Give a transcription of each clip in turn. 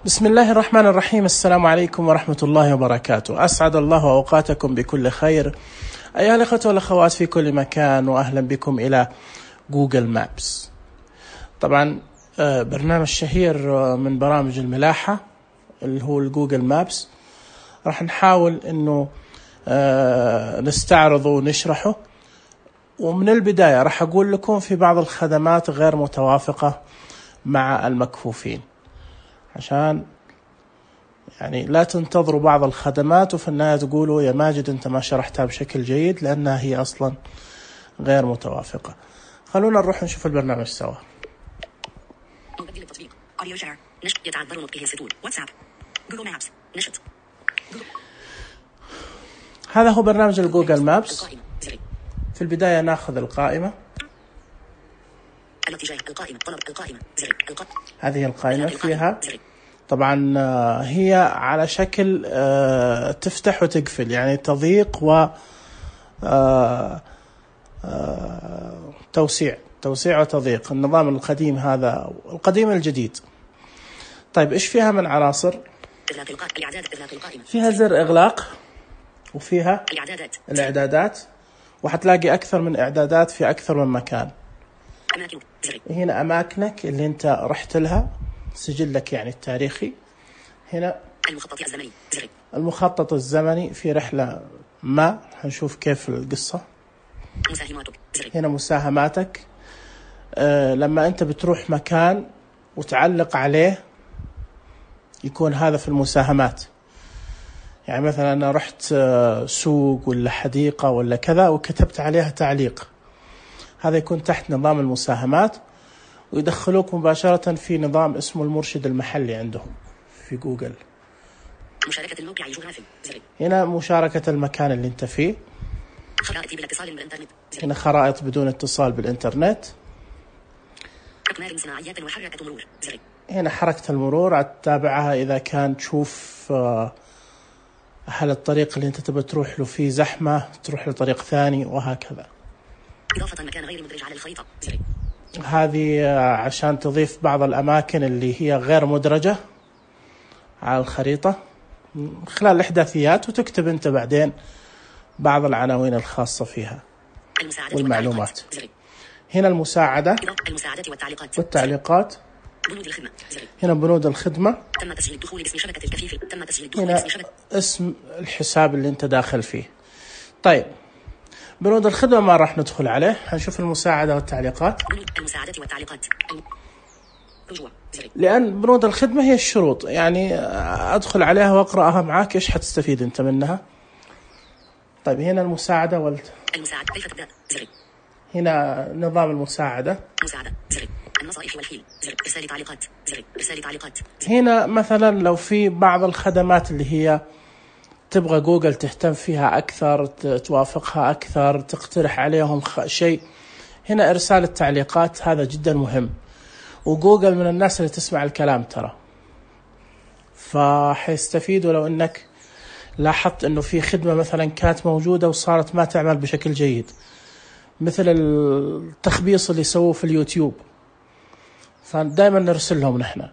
بسم الله الرحمن الرحيم. السلام عليكم ورحمة الله وبركاته. أسعد الله أوقاتكم بكل خير أيها الأخوة والأخوات في كل مكان، وأهلا بكم إلى جوجل مابس. طبعا برنامج شهير من برامج الملاحة اللي هو الجوجل مابس، راح نحاول أنه نستعرضه ونشرحه. ومن البداية راح أقول لكم في بعض الخدمات غير متوافقة مع المكفوفين، عشان يعني لا تنتظروا بعض الخدمات وفي النهاية تقولوا يا ماجد أنت ما شرحتها بشكل جيد، لأنها هي أصلا غير متوافقة. خلونا نروح نشوف البرنامج سوا. مبدل التطبيق أوديو شير نشط يتعذر نطقه السطور واتساب جوجل مابس نشط. هذا هو برنامج الجوجل مابس. في البداية ناخذ القائمة، الاتجاه القائمة طلب القائمة زر هذه القائمة فيها طبعا هي على شكل تفتح وتقفل، يعني تضييق و توسيع وتضييق. النظام القديم هذا القديم الجديد. طيب إيش فيها من عناصر؟ فيها زر إغلاق، وفيها الإعدادات، وحتلاقي أكثر من إعدادات في أكثر من مكان. هنا أماكنك اللي أنت رحت لها، سجلك يعني التاريخي. هنا المخطط الزمني في رحلة ما، هنشوف كيف القصة. هنا مساهماتك، لما أنت بتروح مكان وتعلق عليه يكون هذا في المساهمات. يعني مثلا أنا رحت سوق ولا حديقة ولا كذا وكتبت عليها تعليق، هذا يكون تحت نظام المساهمات، ويدخلوك مباشرة في نظام اسمه المرشد المحلي عندهم في جوجل. مشاركة الموقع الجغرافي. هنا مشاركة المكان اللي انت فيه. خرائط بلا اتصال بالإنترنت. هنا خرائط بدون اتصال بالإنترنت. أقمار صناعيات وحركة مرور. هنا حركة المرور تتابعها إذا كان تشوف هل الطريق اللي انت تبى تروح له فيه زحمة تروح لطريق ثاني، وهكذا. إضافة مكان غير مدرج على الخريطة. هذه عشان تضيف بعض الأماكن اللي هي غير مدرجة على الخريطة خلال الإحداثيات، وتكتب أنت بعدين بعض العناوين الخاصة فيها والمعلومات. هنا المساعدة والتعليقات. هنا بنود الخدمة. تم تسجيل الدخول باسم شبكة الكفيف. تم تسجيل الدخول هنا باسم شبكة. اسم الحساب اللي أنت داخل فيه. طيب بنود الخدمة ما راح ندخل عليه، هنشوف المساعدة والتعليقات. المساعدة والتعليقات. رجوع. لأن بنود الخدمة هي الشروط، يعني أدخل عليها وأقرأها معاك إيش حتستفيد أنت منها. طيب هنا المساعدة المساعدة كيف تبدأ. هنا نظام المساعدة. مساعدة. النصائح والحيل. إرسال تعليقات. إرسال تعليقات. هنا مثلا لو في بعض الخدمات اللي هي تبغى جوجل تهتم فيها أكثر، توافقها أكثر، تقترح عليهم شيء، هنا إرسال التعليقات هذا جدا مهم. وجوجل من الناس اللي تسمع الكلام ترى، فحيستفيدوا لو أنك لاحظت أنه في خدمة مثلا كانت موجودة وصارت ما تعمل بشكل جيد، مثل التخبيص اللي سووه في اليوتيوب، فدائما نرسل لهم نحن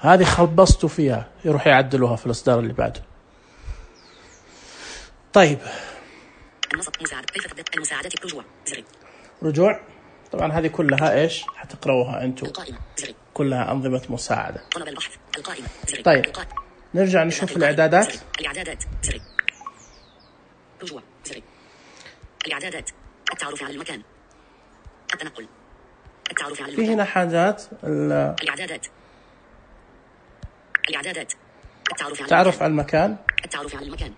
هذه خلبصتوا فيها، يروح يعدلوها في الإصدار اللي بعده. طيب المساعدة رجوع. رجوع طبعا هذه كلها ايش حتقرأوها انتم، كلها أنظمة مساعدة. طلب البحث. القائمة. طيب نرجع نشوف الإعدادات. الإعدادات. رجوع. الإعدادات. التعرف على المكان. التنقل. التعرف على المكان. في هنا حاجات الإعدادات. الإعدادات. التعرف على المكان. التعرف على المكان.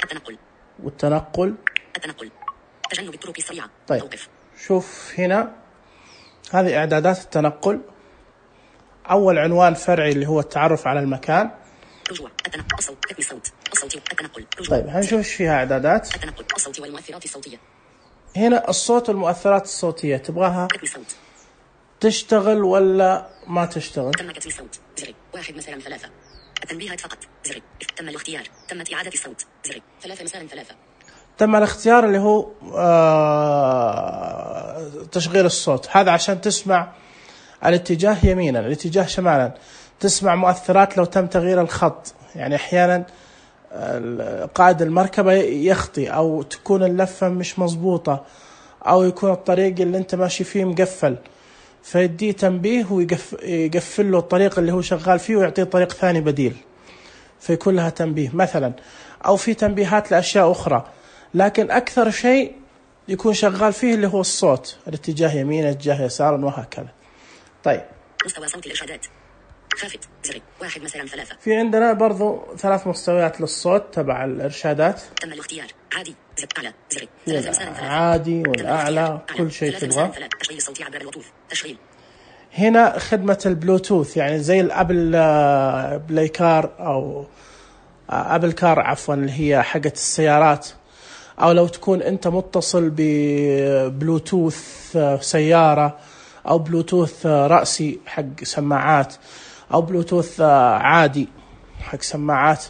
التنقل. والتنقل. التنقل. تجنب الطرق السريعة. طيب توقف. شوف هنا هذه إعدادات التنقل. أول عنوان فرعي اللي هو التعرف على المكان. رجوع. التنقل. الصوت. كتم الصوت. الصوت. التنقل. رجوع. طيب هنشوف ايش فيها إعدادات. التنقل. الصوت والمؤثرات الصوتية. هنا الصوت والمؤثرات الصوتية تبغاها كتم الصوت. تشتغل ولا ما تشتغل؟ تم كتم الصوت. 1 مساء 3. التنبيهات فقط. تم الاختيار. تمت إعادة الصوت. 3 مساء 3. تم الاختيار اللي هو تشغيل الصوت، هذا عشان تسمع الاتجاه يمينا، الاتجاه شمالا، تسمع مؤثرات لو تم تغيير الخط، يعني أحيانا قائد المركبة يخطي، أو تكون اللفة مش مظبوطة، أو يكون الطريق اللي أنت ماشي فيه مقفل، فيديه تنبيه ويقفل له الطريق اللي هو شغال فيه ويعطيه طريق ثاني بديل، فيكون لها تنبيه مثلا، أو في تنبيهات لأشياء أخرى. لكن أكثر شيء يكون شغال فيه اللي هو الصوت، الاتجاه يمين، اتجاه يسارا، وهكذا. طيب، مستوى صوت الإرشادات خافت زر 1 مثلا 3. في عندنا برضو 3 مستويات للصوت تبع الإرشادات. تم الاختيار عادي زر أعلى زر 3 مثلا 3. عادي والأعلى كل شيء تبغاه. تشغيل الصوت عبر البلوتوث تشغيل. هنا خدمة البلوتوث، يعني زي الأبل بلاي كار أو أبل كار عفوا، اللي هي حقة السيارات، أو لو تكون أنت متصل ببلوتوث سيارة، أو بلوتوث رأسي حق سماعات، أو بلوتوث عادي حق سماعات.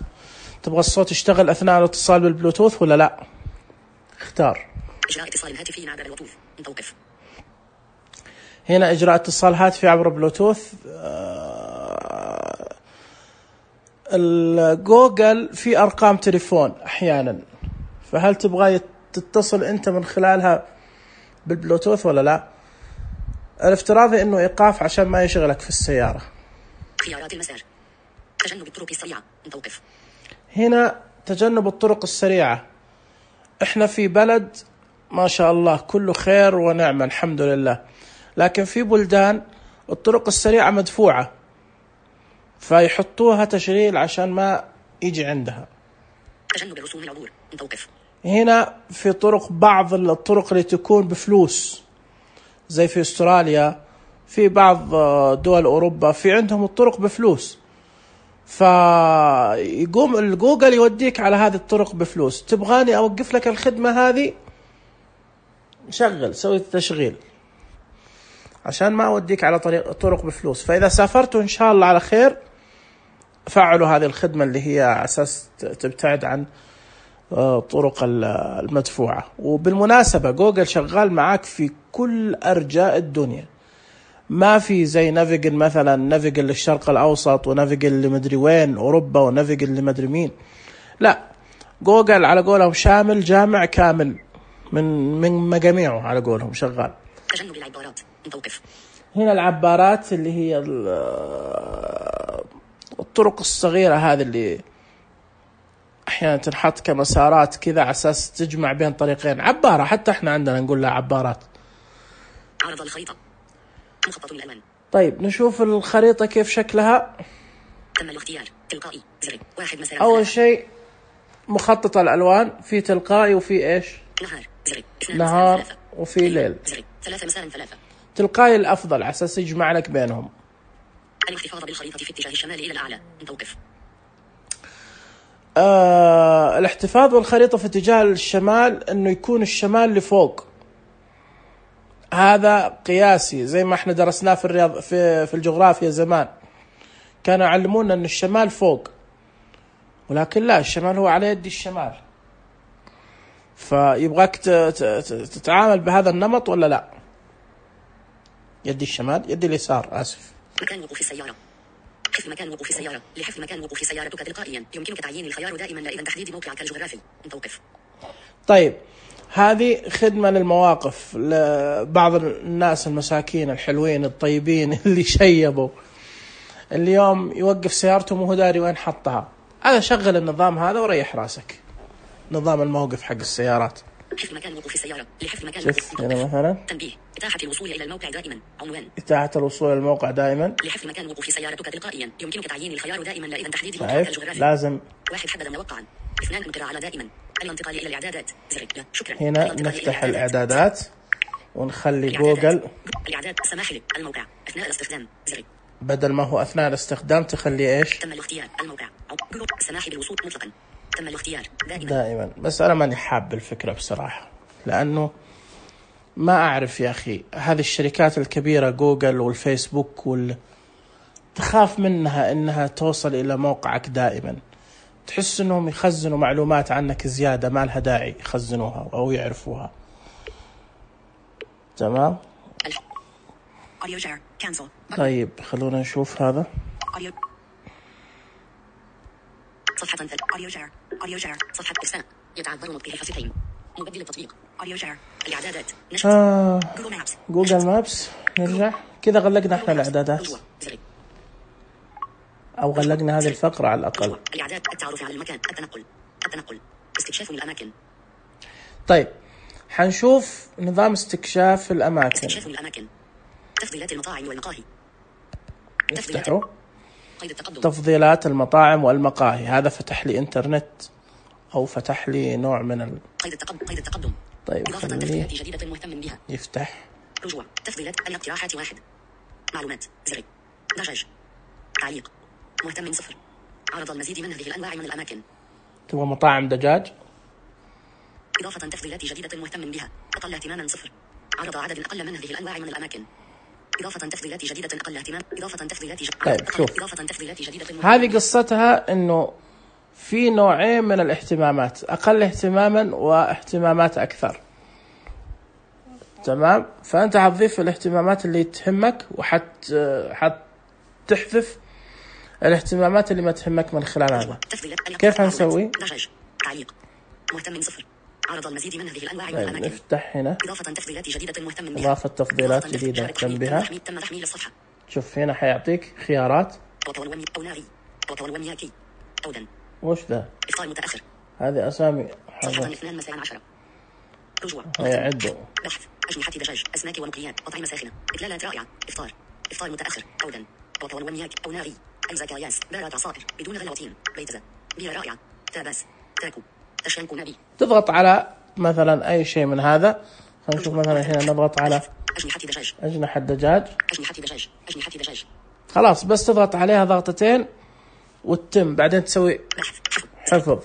تبغى الصوت يشتغل أثناء الاتصال بالبلوتوث ولا لا؟ اختار. إجراء اتصال هاتفي عبر البلوتوث متوقف. هنا إجراء اتصال هاتفي عبر بلوتوث. الجوجل في أرقام تليفون أحيانا، فهل تبغى تتصل أنت من خلالها بالبلوتوث ولا لا؟ الافتراضي إنه إيقاف عشان ما يشغلك في السيارة. خيارات المسار تجنب الطرق السريعة متوقف. هنا تجنب الطرق السريعة. إحنا في بلد ما شاء الله كله خير ونعمة الحمد لله، لكن في بلدان الطرق السريعة مدفوعة، فيحطوها تشغيل عشان ما يجي عندها. تجنب الرسوم العبور متوقف. هنا في طرق، بعض الطرق اللي تكون بفلوس زي في استراليا، في بعض دول أوروبا في عندهم الطرق بفلوس، فيقوم الجوجل يوديك على هذه الطرق بفلوس. تبغاني أوقف لك الخدمة هذه؟ شغل، سوي التشغيل عشان ما أوديك على طرق بفلوس. فإذا سافرتوا إن شاء الله على خير فعلوا هذه الخدمة اللي هي على أساس تبتعد عن طرق المدفوعة. وبالمناسبة جوجل شغال معاك في كل أرجاء الدنيا، ما في زي نافيجل مثلا، نافيجل للشرق الأوسط، ونافيجل لمدري وين أوروبا، ونافيجل لمدري مين. لا، جوجل على قولهم شامل جامع كامل من مجاميعه على قولهم شغال. تجنب العبارات متوقف. هنا العبارات اللي هي الطرق الصغيرة هذه اللي أحيانا تنحط كمسارات كذا على أساس تجمع بين طريقين. عبارة، حتى إحنا عندنا نقول لها عبارات. عرض الخريطة مخطط للألوان. طيب نشوف الخريطة كيف شكلها. تم الاختيار تلقائي زر 1 مثلا. أول شيء مخطط الألوان، في تلقائي وفي إيش؟ نهار زر نهار وفي ليل. زر 3 مثلا 3. تلقائي الأفضل على أساس يجمع لك بينهم. الاحتفاظ بالخريطة في اتجاه الشمال إلى الأعلى متوقف. الاحتفاظ بالخريطة في اتجاه الشمال إنه يكون الشمال لفوق، هذا قياسي زي ما احنا درسناه في الرياض في الجغرافيا زمان، كانوا يعلمونا ان الشمال فوق، ولكن لا، الشمال هو على يد الشمال. فيبغاك تتعامل بهذا النمط ولا لا؟ يد الشمال، يد اليسار، آسف. مكان وقوف السيارة. حفظ مكان وقوف السيارة. لحفظ مكان وقوف سيارتك تلقائيا يمكنك تعيين الخيار دائما لا إذا تحديد موقعك الجغرافي متوقف. طيب هذه خدمة للمواقف، لبعض الناس المساكين الحلوين الطيبين اللي شيبوا اليوم يوقف سيارته وهو داري وين حطها. هذا شغل النظام هذا وريح راسك، نظام الموقف حق السيارات. حفظ مكان وقوف السيارة. لحفظ مكان شوف هنا مثلا تنبيه إتاحة الوصول إلى الموقع دائما. عنوان إتاحة الوصول إلى الموقع دائما. لحفظ مكان وقوف سيارتك تلقائيا يمكنك تعيين الخيار دائما لا إذا تحديد موقعك الجغرافي. لازم 1 حدد موقعا. 2 انقر على دائما. الانتقال إلى الإعدادات زر لا شكرا. هنا نفتح الإعدادات ونخلي جوجل الإعداد السماح لك الموقع أثناء الاستخدام زر، بدل ما هو أثناء الاستخدام تخلي إيش؟ تم الاختيار الموقع السماح بالوصول مطلقا. تم الاختيار دائما. بس أنا ماني حاب الفكرة بصراحة، لأنه ما أعرف يا أخي، هذه الشركات الكبيرة جوجل والفيسبوك تخاف منها إنها توصل إلى موقعك دائما، تحس إنهم يخزنوا معلومات عنك زيادة ما لها داعي يخزنوها أو يعرفوها. تمام. طيب خلونا خلونا نشوف هذا. صفحة أوديو شير صفحة إرسال يتعذر نطق حفتين مبدل التطبيق أوديو شير الإعدادات جوجل مابس نرجع كذا غلقنا احنا الإعدادات أو غلقنا هذه الفقرة على الأقل. الإعداد التعرف على المكان التنقل استكشاف الأماكن. طيب حنشوف نظام استكشاف الأماكن. تفضيلات المطاعم والمقاهي. افتحوا تفضيلات المطاعم والمقاهي. هذا فتح لي إنترنت أو فتح لي نوع من قيد التقدم. طيب إضافة تفضيلات جديدة مهتم بها. يفتح. رجوع تفضيلات الاقتراحات 1 معلومات زر دجاج تعليق مهتم 0 عرض المزيد من هذه الأنواع من الأماكن. تبغى مطاعم دجاج. إضافة تفضيلات جديدة مهتم بها أقل اهتماما 0 عرض عدد أقل من هذه الأنواع من الأماكن. إضافة تفضيلات جديدة أقل اهتمام. إضافة تفضيلات طيب شوف إضافة تفضيلات جديدة هذه قصتها إنه في نوعين من الاهتمامات أقل اهتماما واهتمامات أكثر. تمام. فأنت هتضيف الاهتمامات اللي تهمك تحذف الاهتمامات اللي ما تهمك من خلال هذا. كيف هنسوي؟ دجاج تعليق مهتم 0 عرض المزيد من هذه الأنواع من الأماكن. نفتح هنا إضافة تفضيلات جديدة مهتم بها. إضافة تفضيلات جديدة مهتم بها. تم تحميل الصفحة. شوف هنا حيعطيك خيارات. أو ناري أو ونياكي أو دن. وش ذا؟ إفطار متأخر. هذه أسامي. صفحة 2 مساء 10. رجوع. يعدوا. بحث أجنحة دجاج أسماك ومقليات أطعمة ساخنة إدلالات رائعة إفطار متأخر أو دن أو ونياك أو ناري أي زكاياس بارات عصائر بدون غلاطين بيتزا بيرة رائعة تاباس تاكو تشانكو نبي. تضغط على مثلا أي شيء من هذا. خلينا نشوف مثلا هنا نضغط على أجنحة دجاج. خلاص بس تضغط عليها ضغطتين وتتم. بعدين تسوي حفظ.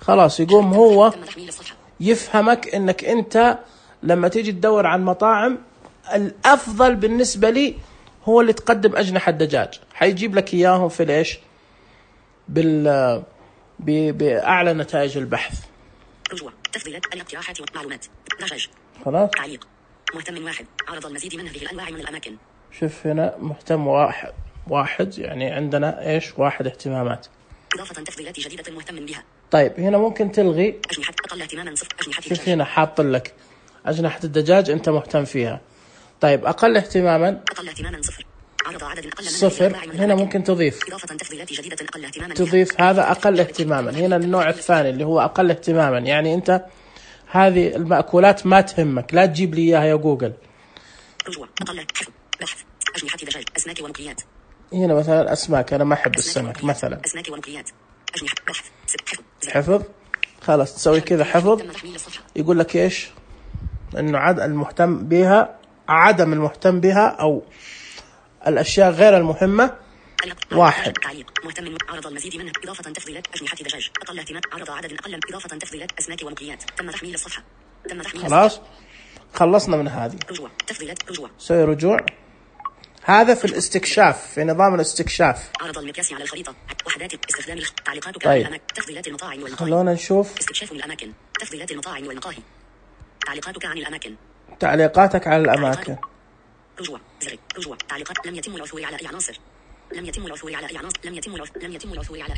خلاص يقوم هو يفهمك إنك أنت لما تيجي تدور عن مطاعم الأفضل بالنسبة لي هو اللي تقدم أجنحة دجاج. حيجيب لك إياهم في ليش بأعلى نتائج البحث. رجوع تفضيلات الاقتراحات ومعلومات دجاج. خلاص. تعليق مهتم 1 عرض المزيد من هذه الأنواع من الأماكن. شوف هنا مهتم واحد يعني عندنا إيش 1 اهتمامات. إضافة تفضيلات جديدة مهتم بها. طيب هنا ممكن تلغي. أجنحة أقل اهتماما 0 أجنحة شوف هنا حاط لك أجنحة الدجاج أنت مهتم فيها. طيب أقل اهتماما 0 عرض عدد أقل من 0. هنا ممكن تضيف. إضافة تفضيلات جديدة أقل اهتماما. تضيف هذا أقل اهتماما. هنا النوع الثاني اللي هو أقل اهتماما يعني أنت هذه المأكولات ما تهمك لا تجيب لي إياها يا جوجل. رجوع أقل بحث أجنحة دجاج أسماك ومقليات. هنا مثلا أسماك أنا ما أحب السمك مثلا. أسماك ومقليات أجنحة بحث حفظ. خلاص تسوي كذا حفظ. يقول لك إيش إنه المهتم بها عدم المهتم بها أو الأشياء غير المهمة 1. تعليق مهتم عرض المزيد منه. إضافة تفضيلات أجنحة دجاج أقل اهتمام عرض عدد أقل. إضافة تفضيلات أسماك ومقليات تم تحميل الصفحة. خلاص خلصنا من هذه. رجوع تفضيلات رجوع. سوي رجوع. هذا في الاستكشاف في نظام الاستكشاف. عرض المقياس على الخريطة وحدات استخدام تعليقاتك طيب. على الأماكن. تفضيلات المطاعم والمقاهي. خلونا نشوف استكشاف الأماكن. تفضيلات المطاعم والمقاهي. تعليقاتك عن الأماكن. تعليقاتك على الأماكن. رجوع رجوع تعليقات لم يتم العثور على أي عناصر. لم يتم العثور على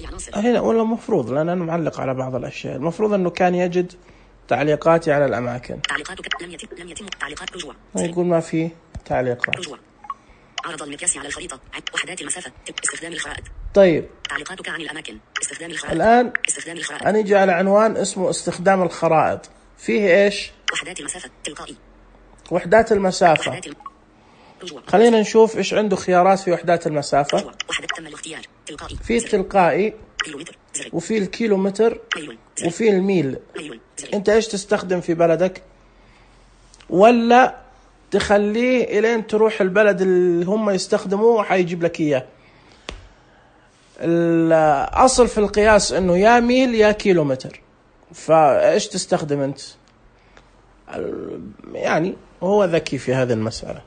أي عناصر. هنا ولا مفروض لأن أنا معلق على بعض الأشياء. المفروض أنه كان يجد تعليقاتي على الأماكن. تعليقاتك لم يتم تعليقات. رجوع. يقول ما في تعليقات. رجوع. عرض المقياس على الخريطة وحدات المسافة استخدام الخرائط. طيب تعليقاتك عن الأماكن استخدام الخرائط. الآن استخدام الخرائط. أنا أجي على عنوان اسمه استخدام الخرائط. فيه إيش؟ وحدات المسافة تلقائي. وحدات المسافة. خلينا نشوف إيش عنده خيارات في وحدات المسافة. وحدات تم الاختيار تلقائي. في التلقائي كيلومتر وفي الكيلومتر وفي الميل. أنت إيش تستخدم في بلدك ولا تخليه إلين تروح البلد اللي هم يستخدموه حيجيب لك إياه. الأصل في القياس إنه يا ميل يا كيلومتر. فإيش تستخدم أنت؟ يعني هو ذكي في هذه المسألة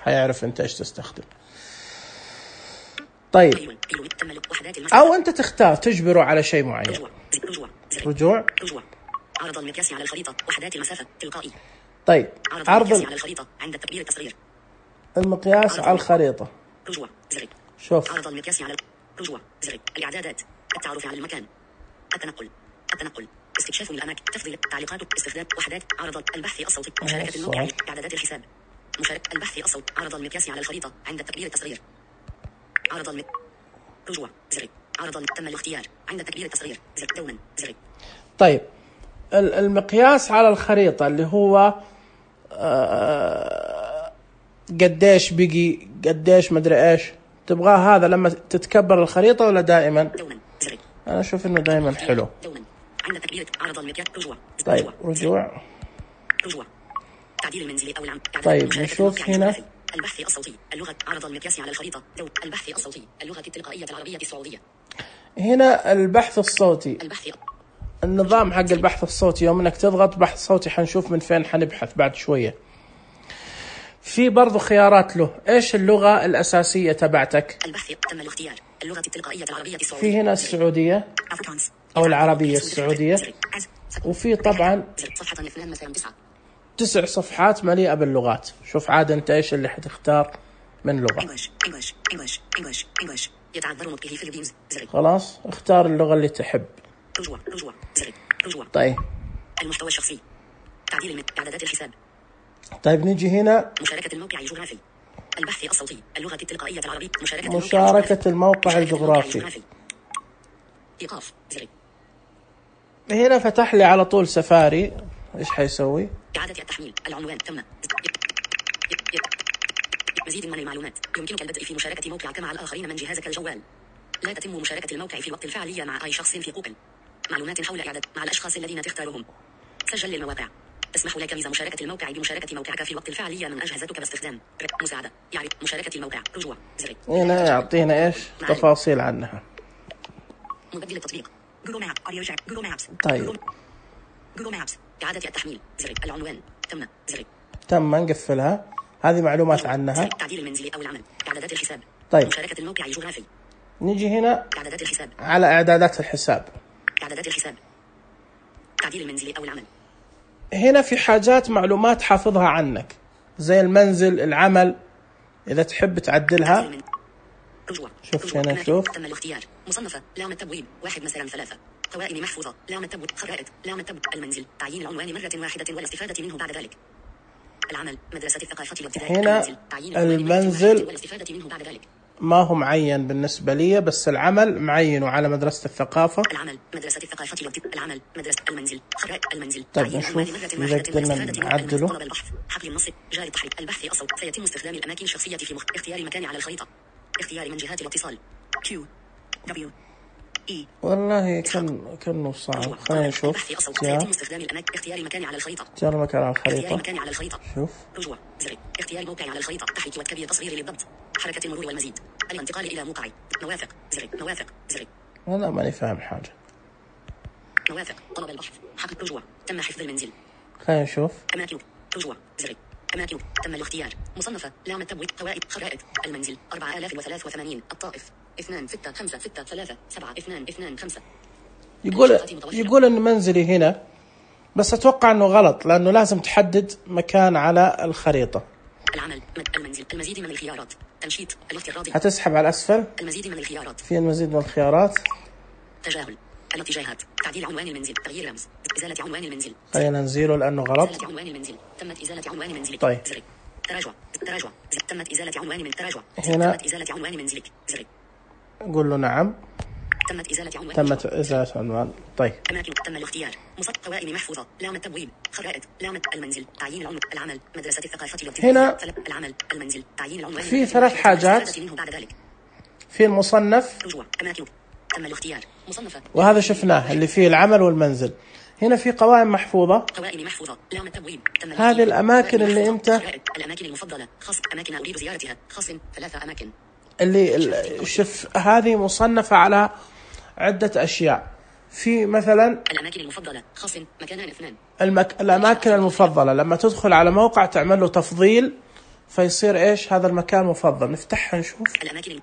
حيعرف أنت إيش تستخدم. طيب أو أنت تختار تجبره على شيء معين. رجوع. عرض المقياس على الخريطة وحدات المسافة تلقائي. طيب عرض المقياس على الخريطة عند التكبير التصغير. المقياس على الخريطة. رجوع شوف عرض المقياس على رجوع زر الإعدادات التعرف على المكان التنقل استكشاف الأماكن تفضيل تعليقات استخدام وحدات عرض البحث الصوتي مشاركة الموقع إعدادات الحساب مشاركة البحث الصوت عرض المقياس على الخريطة عند تكبير التصغير عرض رجوع زر عرض تم الاختيار عند تكبير التصغير زر دوما زر. طيب المقياس على الخريطة اللي هو قديش بقي قديش مدري ايش تبغاه هذا لما تتكبر الخريطة ولا دائما؟ دوما زر. انا اشوف انه دائما حلو. دوما عند تكبير عرض المقياس رجوع. طيب رجوع تعديل المنزلي او العام. طيب نشوف هنا البحث الصوتي اللغة عرض المقياس على الخريطة البحث الصوتي اللغة التلقائية العربية السعودية. هنا البحث الصوتي النظام حق البحث الصوتي يوم انك تضغط بحث صوتي حنشوف من فين حنبحث بعد شوية. في برضو خيارات له ايش اللغة الأساسية تبعتك؟ البحث تم الاختيار اللغة التلقائية العربية السعودية. في هنا السعودية أو العربية السعودية وفي طبعا 9 صفحات مليئة باللغات. شوف عاد انت ايش اللي حتختار من لغة. يتعذر نطقه في الجيمز. خلاص اختار اللغة اللي تحب. رجوع. طيب المحتوى الشخصي تعديل إعدادات الحساب. طيب نيجي هنا مشاركة الموقع الجغرافي البحث الصوتي اللغة التلقائية العربية مشاركة الموقع الجغرافي. إيقاف زر. هنا فتح لي على طول سفاري. ايش حيسوي؟ إعادة التحميل العنوان تم. مزيد من المعلومات يمكنك البدء في مشاركة موقعك مع الآخرين من جهازك الجوال. لا تتم مشاركة الموقع في الوقت الفعلي مع أي شخص في جوجل. معلومات حول إعداد مع الأشخاص الذين تختارهم. سجل للمواقع تسمح لك ميزة مشاركة الموقع بمشاركة موقعك في الوقت الفعلي من أجهزتك باستخدام مساعدة يعرف مشاركة الموقع رجوع زر. هنا يعطينا ايش تفاصيل عنها. مبدل التطبيق جوجل ماب أوديو جاك جوجل مابس. طيب جوجل مابس إعادة التحميل زر العنوان تم زر. تم نقفلها. هذه معلومات عنها. تعديل المنزلي أو العمل إعدادات الحساب. طيب مشاركة الموقع الجغرافي. نيجي هنا إعدادات الحساب على إعدادات الحساب. إعدادات الحساب تعديل المنزلي أو العمل. هنا في حاجات معلومات حافظها عنك زي المنزل العمل إذا تحب تعدلها. شوف هنا شوف تم الاختيار مصنفة لام التبويب 1 مثلا 3 قوائم محفوظة لام التبويب خرائط لام التبويب المنزل تعيين العنوان مرة واحدة والاستفادة منه بعد ذلك. العمل مدرسة الثقافة الابتدائية. هنا المنزل والاستفادة منه بعد ذلك. ما هو معين بالنسبة لي بس العمل معينه على مدرسة الثقافة. العمل مدرسة الثقافة العمل مدرسة المنزل خرائط المنزل. طيب نشوف إذا قدرنا نعدله. طلب البحث حقل النص جاري التحريك البحث الصوت سيتم استخدام الأماكن الشخصية في اختيار مكان على الخريطة اختيار من جهات الاتصال Q W E. والله كأنه صعب. خلينا نشوف. سيتم استخدام الأماكن اختيار مكان على الخريطة. اختيار مكان على الخريطة. اختيار مكان على الخريطة. شوف رجوع زر اختيار موقع على الخريطة تحريك وتكبير تصغير للضبط حركة المرور والمزيد الانتقال إلى موقع موافق زر. أنا ماني فاهم حاجة. موافق طلب البحث حق رجوع تم حفظ المنزل. خلينا نشوف. أماكن رجوع زر أماكن تم الاختيار مصنفة لام التبويب قوائم خرائط المنزل 4083 الطائف 2656337 يقول إن منزلي هنا بس أتوقع إنه غلط لأنه لازم تحدد مكان على الخريطة. العمل المنزل المزيد من الخيارات تنشيط الاختيار الراضي. هتسحب على الأسفل. المزيد من الخيارات. في المزيد من الخيارات. تجاهل الاتجاهات تعديل عنوان المنزل تغيير رمز إزالة عنوان المنزل. خلينا نزيله لأنه غلط. إزالة عنوان المنزل تمت إزالة عنوان منزلك. طيب. زر تراجع تمت إزالة عنوان من تراجع. هنا تمت إزالة عنوان منزلك. زر قول له نعم. تمت إزالة عنوان. تمت إزالة عنوان. طيب. أماكن تم الاختيار قوائم محفوظة لام التبويب خرائط لام المنزل تعيين العنوان العمل مدرسة الثقافة الابتدائية. هنا العمل المنزل تعيين العنوان. في 3 حاجات. في المصنف. رجوع أماكن تم الاختيار مصنفة. وهذا شفناه اللي فيه العمل والمنزل. هنا في قوائم محفوظة. قوائم محفوظة لام التبويب. هذه الأماكن اللي أنت. الأماكن المفضلة خاص أماكن أريد زيارتها خاص 3 أماكن. اللي شوف هذه مصنفة على عدة أشياء. في مثلا الأماكن المفضلة خاص مكانان 2. الأماكن المفضلة لما تدخل على موقع تعمل له تفضيل فيصير إيش هذا المكان مفضل. نفتحها نشوف. الأماكن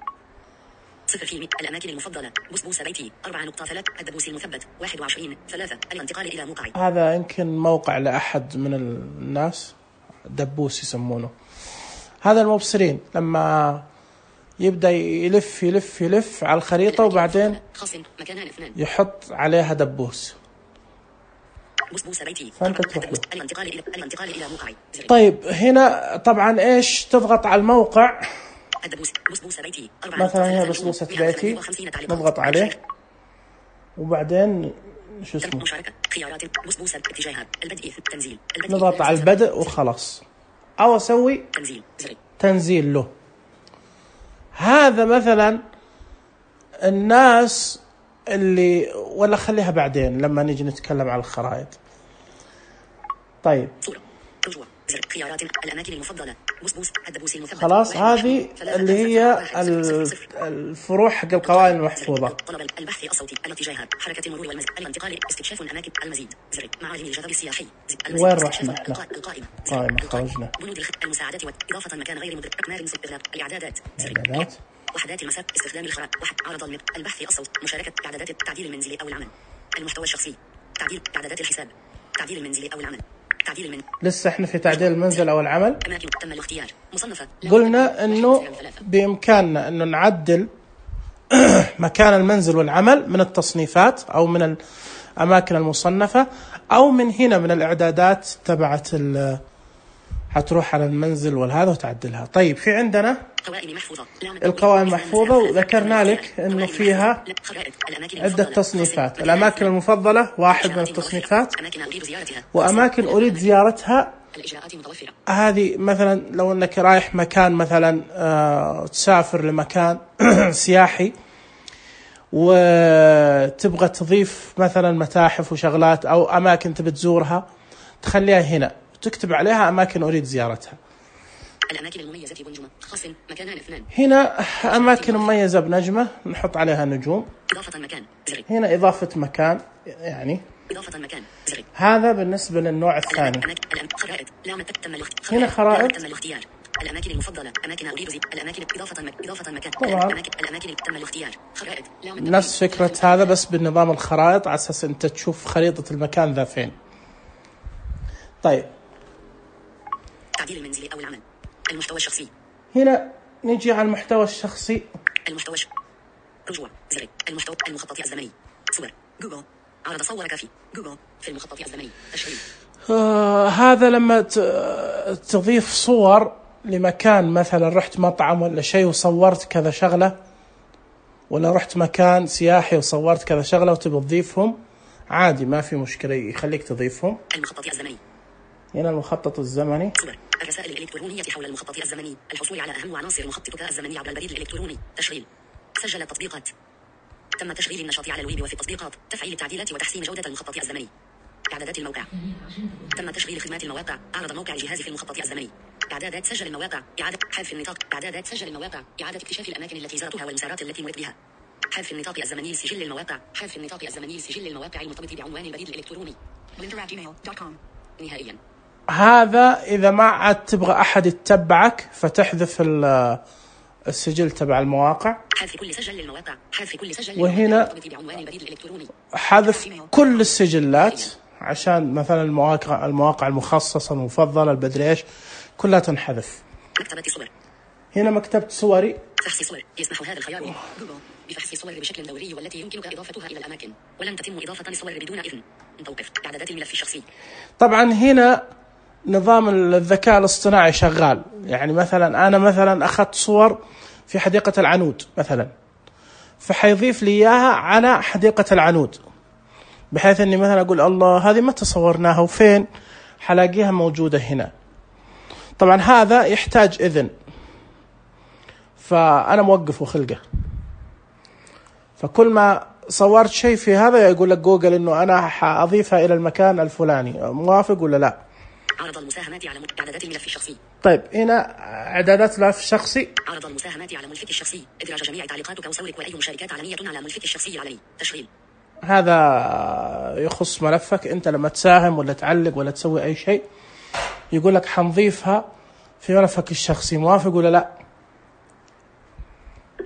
0 الأماكن المفضلة بسبوسة بيتي 4.3 الدبوس المثبت 21/3 الانتقال إلى موقعي. هذا يمكن موقع لأحد من الناس دبوس يسمونه. هذا المبصرين لما يبدأ يلف يلف يلف على الخريطة وبعدين يحط عليها دبوس. فأنت تروح له. طيب هنا طبعا إيش تضغط على الموقع، مثلا هي بسبوسة بيتي، نضغط عليه وبعدين شو اسمه نضغط على البدء وخلاص، أو أسوي تنزيل له. هذا مثلا الناس اللي، ولا خليها بعدين لما نيجي نتكلم على الخرائط. طيب خيارات الأماكن المفضلة خلاص، هذه اللي هي الفروع حق القوائم المحفوظة. طلب البحث الصوتي، الاتجاهات، حركة المرور والمزيد، الانتقال، استكشاف الأماكن، المزيد، معالم الجدول السياحي، وين رحنا احنا؟ قائمة خرجنا. بنود المساعدات وإضافة مكان غير مدرك، أقمار الإعدادات، وحدات المسار، استخدام الخرائط، عرض البحث الصوت، مشاركة إعدادات التعديل المنزلي أو العمل، المحتوى الشخصي، تعديل إعدادات الحساب، تعديل المنزلي أو العمل، لسه احنا في تعديل المنزل او العمل. أماكن تم الاختيار، مصنفة. قلنا انه بامكاننا انه نعدل مكان المنزل والعمل من التصنيفات او من الاماكن المصنفة، او من هنا من الاعدادات تبعت حتروح على المنزل والهذا وتعدلها. طيب في عندنا القوائم محفوظة، وذكرنا لك انه فيها عدة تصنيفات. الاماكن المفضلة واحد من التصنيفات، واماكن اريد زيارتها. هذه مثلا لو انك رايح مكان مثلا تسافر لمكان سياحي وتبغى تضيف مثلا متاحف وشغلات او اماكن تبي تزورها، تخليها هنا تكتب عليها اماكن اريد زيارتها. الأماكن المميزة بنجمة خاص مكانان 2. هنا أماكن مميزة بنجمة نحط عليها نجوم. إضافة مكان زري. هنا إضافة مكان، يعني إضافة مكان زري. هذا بالنسبة للنوع الثاني. خرائط لا تم هنا خرائط تم الاختيار. الأماكن المفضلة، أماكن أريد الأماكن إضافة مكان. طبعا الأماكن تم الاختيار. خرائط نفس فكرة هذا بس بالنظام الخرائط، على أساس أنت تشوف خريطة المكان ذا فين. طيب تعديل المنزلي أو العمل، المحتوى الشخصي. هنا نجي على المحتوى الشخصي. المحتوى رجوع زري. المخطط الزمني، صور جوجل، عرض صورك في جوجل في المخطط الزمني، تشغيل. هذا لما تضيف صور لمكان، مثلا رحت مطعم ولا شيء وصورت كذا شغلة، ولا رحت مكان سياحي وصورت كذا شغلة وتبي تضيفهم، عادي ما في مشكلة، يخليك تضيفهم. المخطط الزمني. هنا المخطط الزمني. الرسائل الإلكترونية حول المخطط الزمني، الحصول على أهم عناصر مخططك الزمني عبر البريد الإلكتروني، تشغيل. سجل التطبيقات. تم تشغيل النشاط على الويب وفي التطبيقات، تفعيل التعديلات وتحسين جودة المخطط الزمني. إعدادات الموقع. تم تشغيل خدمات المواقع، عرض موقع الجهاز في المخطط الزمني. إعدادات سجل المواقع، إعادة حذف النطاق. إعدادات سجل المواقع، إعادة اكتشاف الأماكن التي زرتها والمسارات التي مرت بها. حذف النطاق الزمني لسجل المواقع، حذف النطاق الزمني لسجل المواقع المرتبط بعنوان البريد الإلكتروني. نهائيا. هذا إذا ما عاد تبغى أحد يتبعك فتحذف السجل تبع المواقع. حذف كل سجل للمواقع، حذف كل سجل وهنا حذف كل السجلات، عشان مثلا المواقع المخصصة المفضلة البدري إيش كلها تنحذف. مكتبة صور. هنا مكتبة صوري. فحص صور. يسمح هذا الخيار جوجل بفحص صور بشكل دوري والتي يمكنك إضافتها إلى الأماكن، ولن تتم إضافة الصور بدون إذن. توقف إعدادات الملف الشخصي. طبعا هنا نظام الذكاء الاصطناعي شغال، يعني مثلا أنا مثلا أخذت صور في حديقة العنود مثلا، فحيضيف لي إياها على حديقة العنود، بحيث أني مثلا أقول الله هذه متى صورناها وفين، حلاقيها موجودة هنا. طبعا هذا يحتاج إذن، فأنا موقف وخلقه، فكل ما صورت شيء في هذا يقول لك جوجل إنه أنا حأضيفها إلى المكان الفلاني، موافق ولا لا؟ عرض المساهمات على إعدادات الملف الشخصي. طيب هنا إعدادات الملف الشخصي. عرض المساهمات على ملفك الشخصي، إدراج جميع تعليقاتك وصورك وأي مشاركات علنية على ملفك الشخصي العلني، تشغيل. هذا يخص ملفك أنت، لما تساهم ولا تعلق ولا تسوي أي شيء يقول لك حنضيفها في ملفك الشخصي، موافق ولا لا؟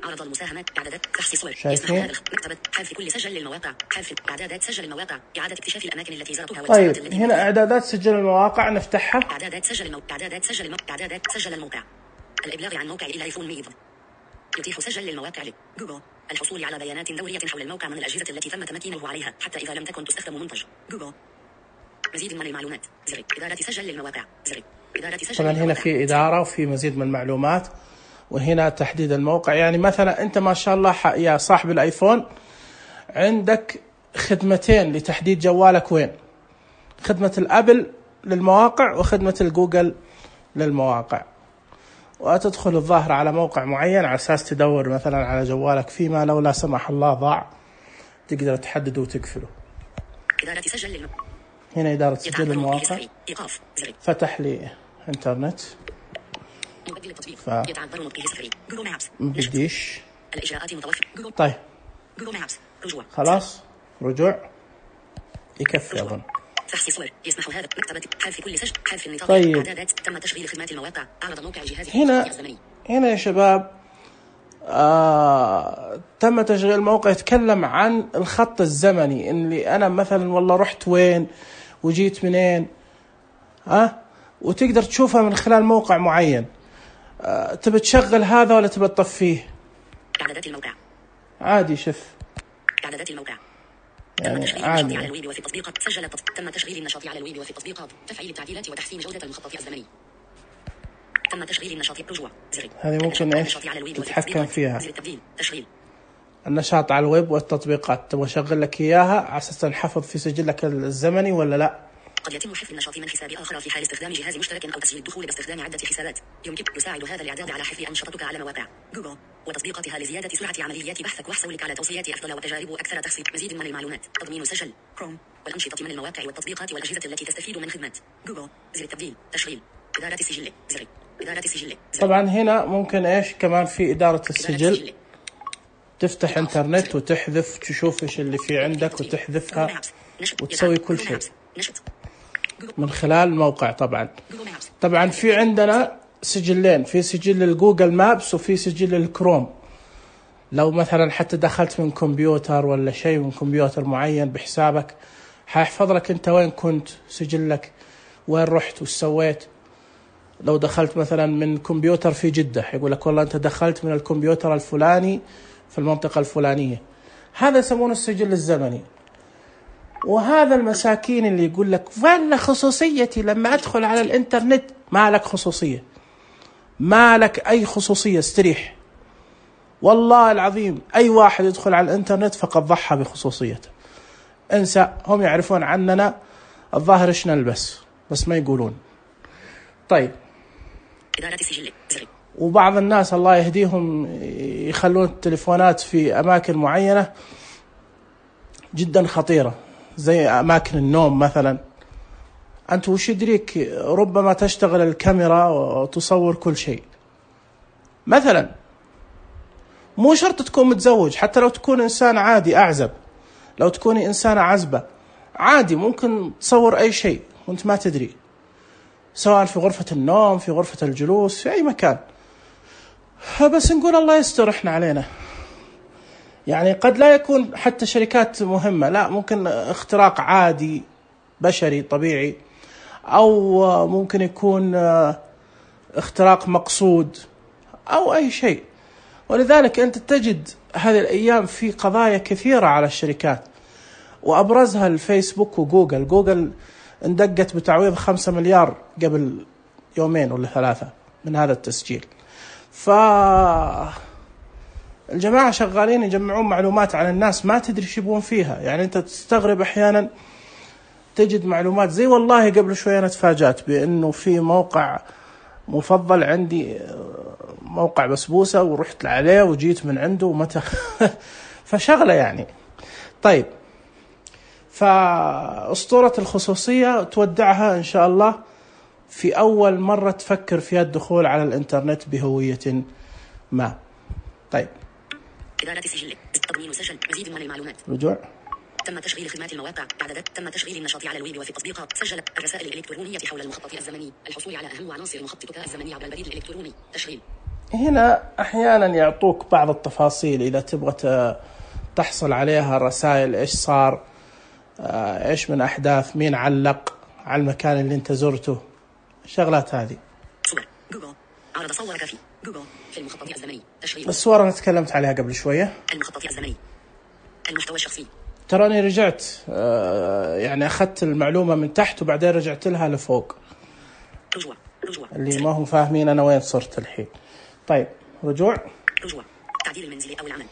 عرض المساهمات، إعدادات فحص صور. شايفين؟ مكتبة حذف كل سجل للمواقع، حذف إعدادات سجل المواقع، إعادة اكتشاف الأماكن التي زرتها. طيب هنا إعدادات سجل المواقع نفتحها. إعدادات سجل الموقع، إعدادات سجل الموقع، الإبلاغ عن موقع إلى آيفون ميض. يتيح سجل للمواقع جوجل الحصول على بيانات دورية حول الموقع من الأجهزة التي تم تمكينه عليها حتى إذا لم تكن تستخدم منتج جوجل. مزيد من المعلومات زر إدارة سجل للمواقع زر إدارة سجل. طبعا هنا في إدارة وفي مزيد من المعلومات، وهنا تحديد الموقع. يعني مثلا أنت ما شاء الله يا صاحب الآيفون عندك خدمتين لتحديد جوالك وين، خدمة الأبل للمواقع وخدمة الجوجل للمواقع، وتدخل الظاهر على موقع معين على أساس تدور مثلا على جوالك، فيما لو لا سمح الله ضاع تقدر تحدده وتقفله. إدارة سجل هنا إدارة سجل المواقع، فتح لي إنترنت بديش. الإجراءات متوفرة. طيب رجوع. خلاص رجوع يكفي أظن. فحص صور يسمح هذا مكتبة حذف كل سجل حذف النطاق. طيب. إعدادات تم تشغيل خدمات المواقع أعرض موقع جهاز هنا يا شباب تم تشغيل الموقع، يتكلم عن الخط الزمني اللي أنا مثلا والله رحت وين وجيت منين، وتقدر تشوفها من خلال موقع معين. تبي تشغل هذا ولا تبي تطفيه؟ إعدادات الموقع عادي. شوف إعدادات الموقع. يعني تم تشغيل النشاط على الويب وفي التطبيقات. تم تشغيل النشاط على الويب وفي التطبيقات. تفعيل التعديلات وتحسين جودة المخطط الزمني. تم تشغيل النشاط. رجوع زر. هذه ممكن ايش تتحكم فيها. تشغيل النشاط على الويب والتطبيقات، تبغى اشغل لك اياها على اساس نحفظ في سجلك الزمني ولا لا؟ قد يتم حفظ النشاط من حساب آخر في حال استخدام جهاز مشترك أو تسجيل الدخول باستخدام عدة حسابات. يساعد هذا الإعداد على حفظ أنشطتك على مواقع جوجل وتطبيقاتها لزيادة سرعة عمليات بحثك وحصولك على توصيات أفضل وتجارب أكثر تخصيص. مزيد من المعلومات. تضمين سجل كروم والأنشطة من المواقع والتطبيقات والأجهزة التي تستفيد من خدمات جوجل. زر التبديل. تشغيل. إدارة السجل. زر. إدارة السجل. طبعا هنا ممكن ايش كمان في إدارة السجل. تفتح انترنت وتحذف، تشوف ايش اللي في عندك وتحذفها وتسوي كل شيء من خلال الموقع. طبعا في عندنا سجلين، في سجل للجوجل مابس وفي سجل للكروم. لو مثلا حتى دخلت من كمبيوتر ولا شيء من كمبيوتر معين بحسابك، حيحفظ لك انت وين كنت، سجلك وين رحت وش سويت. لو دخلت مثلا من كمبيوتر في جدة يقول لك والله انت دخلت من الكمبيوتر الفلاني في المنطقة الفلانية. هذا يسمونه السجل الزمني. وهذا المساكين اللي يقول لك وين خصوصيتي لما أدخل على الإنترنت، ما لك خصوصية، ما لك أي خصوصية، استريح. والله العظيم أي واحد يدخل على الإنترنت فقد ضحى بخصوصيته. انسى، هم يعرفون عننا الظاهر إيش نلبس بس ما يقولون. طيب، وبعض الناس الله يهديهم يخلون التليفونات في أماكن معينة جدا خطيرة زي أماكن النوم مثلا. أنت وش يدريك ربما تشتغل الكاميرا وتصور كل شيء مثلا. مو شرط تكون متزوج، حتى لو تكون إنسان عادي أعزب، لو تكوني إنسانة عزبة عادي ممكن تصور أي شيء وأنت ما تدري، سواء في غرفة النوم، في غرفة الجلوس، في أي مكان. بس نقول الله يستر إحنا علينا. يعني قد لا يكون حتى شركات مهمة، لا، ممكن اختراق عادي بشري طبيعي، أو ممكن يكون اختراق مقصود أو أي شيء. ولذلك أنت تجد هذه الأيام في قضايا كثيرة على الشركات، وأبرزها الفيسبوك وجوجل. جوجل اندقت بتعويض 5 مليار قبل يومين ولا 3 من هذا التسجيل. الجماعة شغالين يجمعون معلومات عن الناس ما تدري شو يبون فيها. يعني أنت تستغرب أحيانا تجد معلومات زي والله قبل شوية أنا تفاجأت بأنه في موقع مفضل عندي، موقع بسبوسة، ورحت عليه وجيت من عنده ومتى فشغلة يعني. طيب، فأسطورة الخصوصية تودعها إن شاء الله في أول مرة تفكر فيها الدخول على الإنترنت بهوية ما. طيب، إدارة السجل. تضمين سجل. مزيد من المعلومات. رجوع. تم تشغيل خدمات المواقع. إعدادات. تم تشغيل النشاط على الويب وفي التطبيقات. سجل الرسائل الإلكترونية حول المخطط الزمني. الحصول على أهم عناصر مخططك الزمني عبر البريد الإلكتروني. تشغيل. هنا أحيانا يعطوك بعض التفاصيل إذا تبغى تحصل عليها، الرسائل إيش صار، إيش من أحداث، مين علق على المكان اللي أنت زرته، الشغلات هذه. صور. جوجل. عرض صورك في جوجل في المخطط الزمني تشغيل. الصور أنا تكلمت عليها قبل شوية. المخطط الزمني المحتوى الشخصي. تراني رجعت يعني أخذت المعلومة من تحت وبعدين رجعت لها لفوق. رجوع اللي ما هم فاهمين أنا وين صرت الحين. طيب رجوع تعديل المنزلي أو العمل.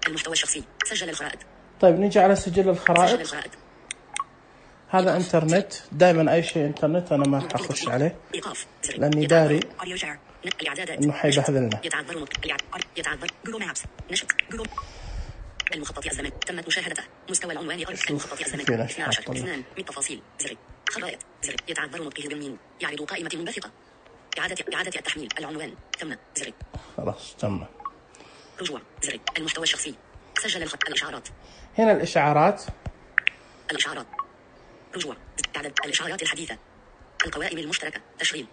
المحتوى الشخصي سجل الخرائط. طيب نيجي على سجل الخرائط. سجل الخرائط. هذا انترنت، دائما أي شيء انترنت أنا ما أخش عليه لأني داري إنه حيبهذلنا. يتعذر جوجل مابس نشط جوجل. المخطط الزمني تمت مشاهدته. مستوى العنوان المخطط الزمني 12 2 من تفاصيل زر خرائط زر يتعذر نطقه بالميم يعرض قائمة منبثقة. إعادة التحميل العنوان تم زر. خلاص تم. رجوع زر المحتوى الشخصي سجل الإشعارات. هنا الإشعارات. رجوع عدد الإشعارات الحديثة. القوائم المشتركة تشغيل.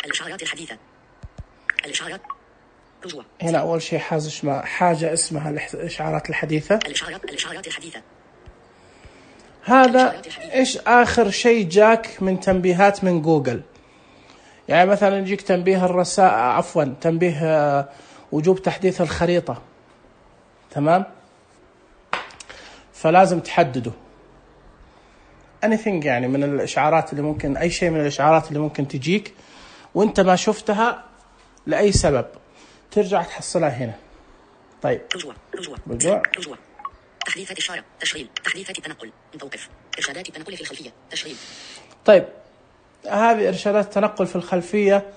الإشعارات الحديثة. الإشعارات. رجوع. هنا أول شيء حاجة اسمها الإشعارات الحديثة. الإشعارات الحديثة. هذا إيش آخر شيء جاك من تنبيهات من جوجل؟ يعني مثلا يجيك تنبيه الرسائل تنبيه وجوب تحديث الخريطة. تمام؟ فلازم تحدده. anything يعني من الإشعارات اللي ممكن أي شيء من الإشعارات اللي ممكن تجيك وأنت ما شفتها لأي سبب ترجع تحصلها هنا. طيب رجوع. تحديثات إشارة تشغيل. تحديثات التنقل توقف. إرشادات التنقل في الخلفية تشغيل. طيب هذه إرشادات التنقل في الخلفية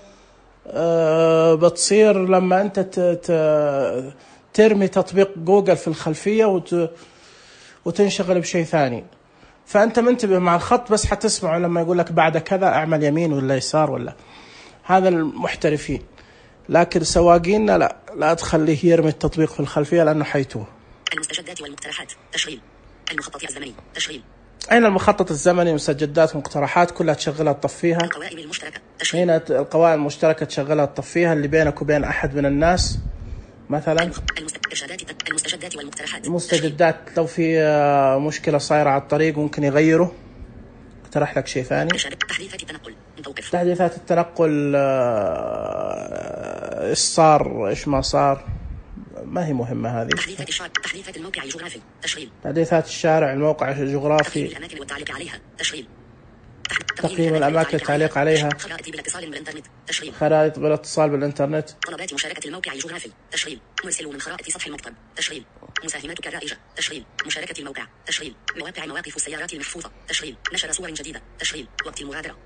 بتصير لما أنت ترمي تطبيق جوجل في الخلفية وتنشغل بشيء ثاني، فأنت منتبه مع الخط بس حتسمعه لما يقول لك بعد كذا اعمل يمين ولا يسار ولا. هذا المحترفين، لكن سواقيننا لا تخليه يرمي التطبيق في الخلفية لأنه حيتوه. المستجدات والمقترحات تشغيل. المخطط الزمني تشغيل. أين المخطط الزمني؟ مستجدات ومقترحات كلها تشغلها تطفيها. القوائم المشتركة تشغيل. هنا القوائم المشتركة تشغلها تطفيها اللي بينك وبين أحد من الناس مثلا. المستجدات والمقترحات. المستجدات لو في مشكلة صايرة على الطريق ممكن يغيره. اقترح لك شيء ثاني. تحديثات التنقل توقف. تحديثات التنقل إيش صار إيش ما صار ما هي مهمة هذه. تحديثات الموقع الجغرافي تشغيل. تحديثات الشارع الموقع الجغرافي. الأماكن والتعليق عليها تشغيل. تقييم الأماكن والتعليق عليها. خرائط بالاتصال بالإنترنت تشغيل. خرائط بالاتصال بالإنترنت. طلبات مشاركة الموقع الجغرافي تشغيل. مرسل من خرائط سطح المكتب تشغيل. مساهماتك الرائجة تشغيل. مشاركة الموقع تشغيل. مواقف السيارات المحفوظة تشغيل. نشر صور جديدة تشغيل. وقت المغادرة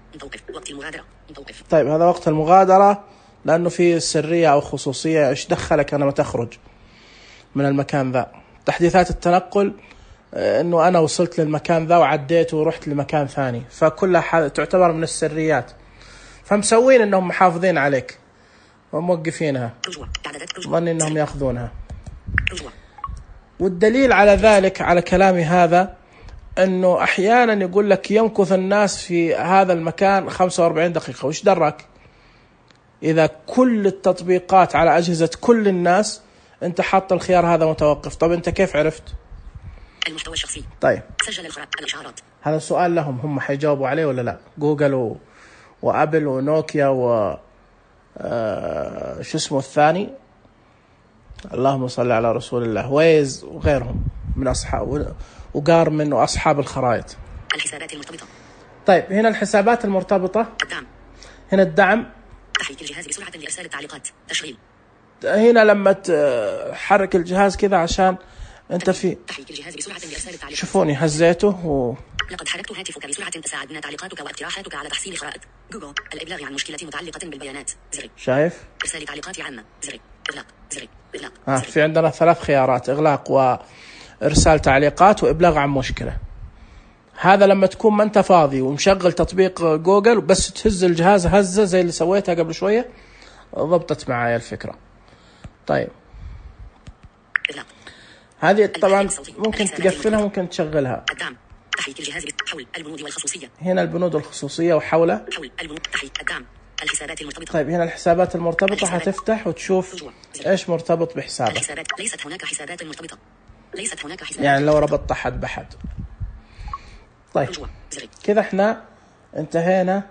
توقف. طيب هذا وقت المغادرة لأنه في سرية أو خصوصية. إيش دخلك أنا ما تخرج من المكان ذا. تحديثات التنقل إنه أنا وصلت للمكان ذا وعديت ورحت لمكان ثاني، فكلها تعتبر من السريات، فمسوين إنهم محافظين عليك وموقفينها ظن إنهم يأخذونها. والدليل على ذلك على كلامي هذا إنه أحيانا يقول لك يمكث الناس في هذا المكان 45 دقيقة. وش درك إذا كل التطبيقات على أجهزة كل الناس أنت حاط الخيار هذا متوقف؟ طب أنت كيف عرفت؟ المحتوى الشخصي. طيب سجل الإشعارات. هذا سؤال لهم هم حيجاوبوا عليه ولا لا؟ جوجل وأبل ونوكيا شو اسمه الثاني اللهم صل على رسول الله ويز وغيرهم من أصحاب وقارمن وأصحاب الخرائط. الحسابات المرتبطة. طيب هنا الحسابات المرتبطة. الدعم. هنا الدعم. تحريك الجهاز بسرعة لإرسال التعليقات تشغيل. هنا لما تحرك الجهاز كذا عشان أنت في تحريك الجهاز بسرعة لإرسال التعليقات. شوفوني هزيته لقد حركت هاتفك بسرعة تساعدنا تعليقاتك واقتراحاتك على تحسين خرائط جوجل. الإبلاغ عن مشكلة متعلقة بالبيانات زر. شايف؟ إرسال تعليقات عامة زر. إغلاق زر. في عندنا 3 خيارات: إغلاق وإرسال تعليقات وإبلاغ عن مشكلة. هذا لما تكون ما أنت فاضي ومشغل تطبيق جوجل بس تهز الجهاز هزة زي اللي سويتها قبل شوية ضبطت معايا الفكرة. طيب هذه طبعا ممكن تقفلها ممكن تشغلها. الدعم. تحريك الجهاز حول البنود والخصوصية. هنا البنود والخصوصية وحولها. حول البنود. تحريك الدعم. الحسابات المرتبطة. طيب هنا الحسابات المرتبطة حتفتح وتشوف إيش مرتبط بحسابك. الحسابات. ليست هناك حسابات مرتبطة. يعني لو ربطت أحد بحد. طيب كذا احنا انتهينا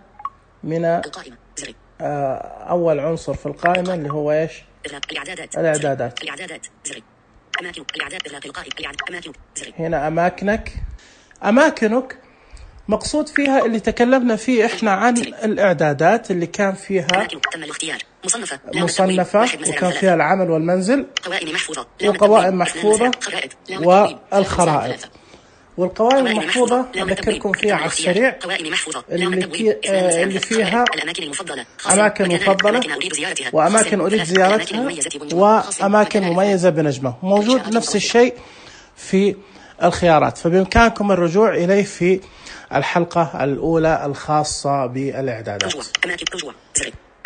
من القائمة زر. أول عنصر في القائمة اللي هو إيش؟ الإعدادات. أماكن الإعداد إغلاق القائمة. أماكن هنا أماكنك مقصود فيها اللي تكلمنا فيه إحنا عن الإعدادات اللي كان فيها تم الاختيار مصنفة وكان فيها العمل والمنزل وقوائم محفوظة والخرائط. والقوائم المحفوظة أذكركم فيها على السريع اللي فيها أماكن مفضلة وأماكن أريد زيارتها وأماكن مميزة بنجمة. موجود نفس الشيء في الخيارات، فبإمكانكم الرجوع إليه في الحلقة الأولى الخاصة بالإعدادات.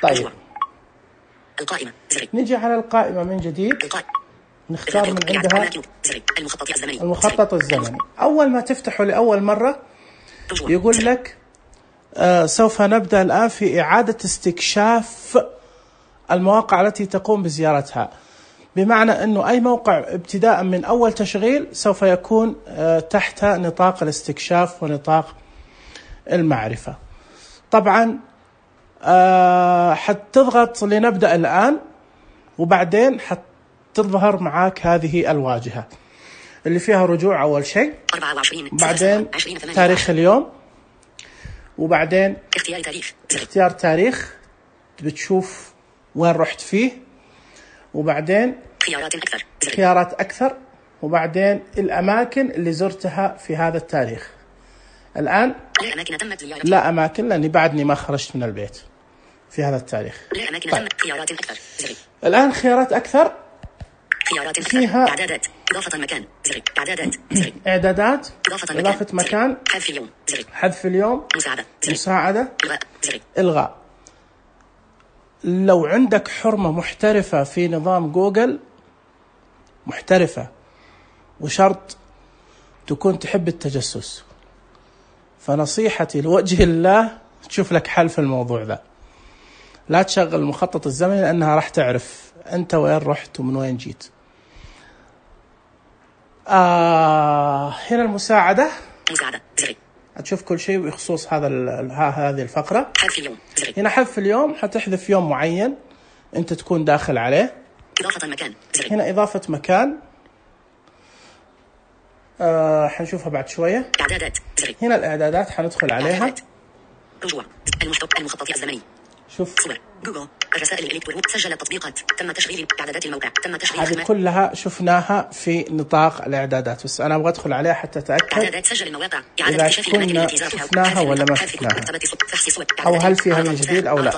طيب نجي على القائمة من جديد، نختار من عندها المخطط الزمني. أول ما تفتحه لأول مرة يقول لك سوف نبدأ الآن في إعادة استكشاف المواقع التي تقوم بزيارتها، بمعنى أنه أي موقع ابتداء من أول تشغيل سوف يكون تحت نطاق الاستكشاف ونطاق المعرفة. طبعا حتضغط لنبدأ الآن، وبعدين تظهر معاك هذه الواجهة اللي فيها رجوع أول شيء، بعدين تاريخ اليوم، وبعدين اختيار تاريخ بتشوف وين رحت فيه، وبعدين خيارات أكثر، وبعدين الأماكن اللي زرتها في هذا التاريخ. الآن لا أماكن لأني بعدني ما خرجت من البيت في هذا التاريخ. طيب. الآن خيارات أكثر فيها إضافة مكان إعدادات إضافة مكان حذف اليوم مساعدة إلغاء. لو عندك حرمة محترفة في نظام جوجل محترفة وشرط تكون تحب التجسس، فنصيحتي لوجه الله تشوف لك حل في الموضوع ذا. لا تشغل المخطط الزمني لأنها راح تعرف أنت وين رحت ومن وين جيت. هنا المساعدة هتشوف كل شيء بخصوص هذه الفقرة. هنا حذف اليوم، حتحذف يوم معين أنت تكون داخل عليه. هنا إضافة مكان حنشوفها بعد شوية. هنا الإعدادات حندخل عليها. المخطط الزمني. شوف صور جوجل، الرسائل الإلكترونية، سجل التطبيقات، تم تشغيل إعدادات الموقع، تم تشغيل هذه كلها شفناها في نطاق الإعدادات، بس أنا أبغى أدخل عليها حتى أتأكد إعدادات سجل المواقع، إذا كنا شفناها ولا ما شفناها، أو هل فيها من جديد أو لا.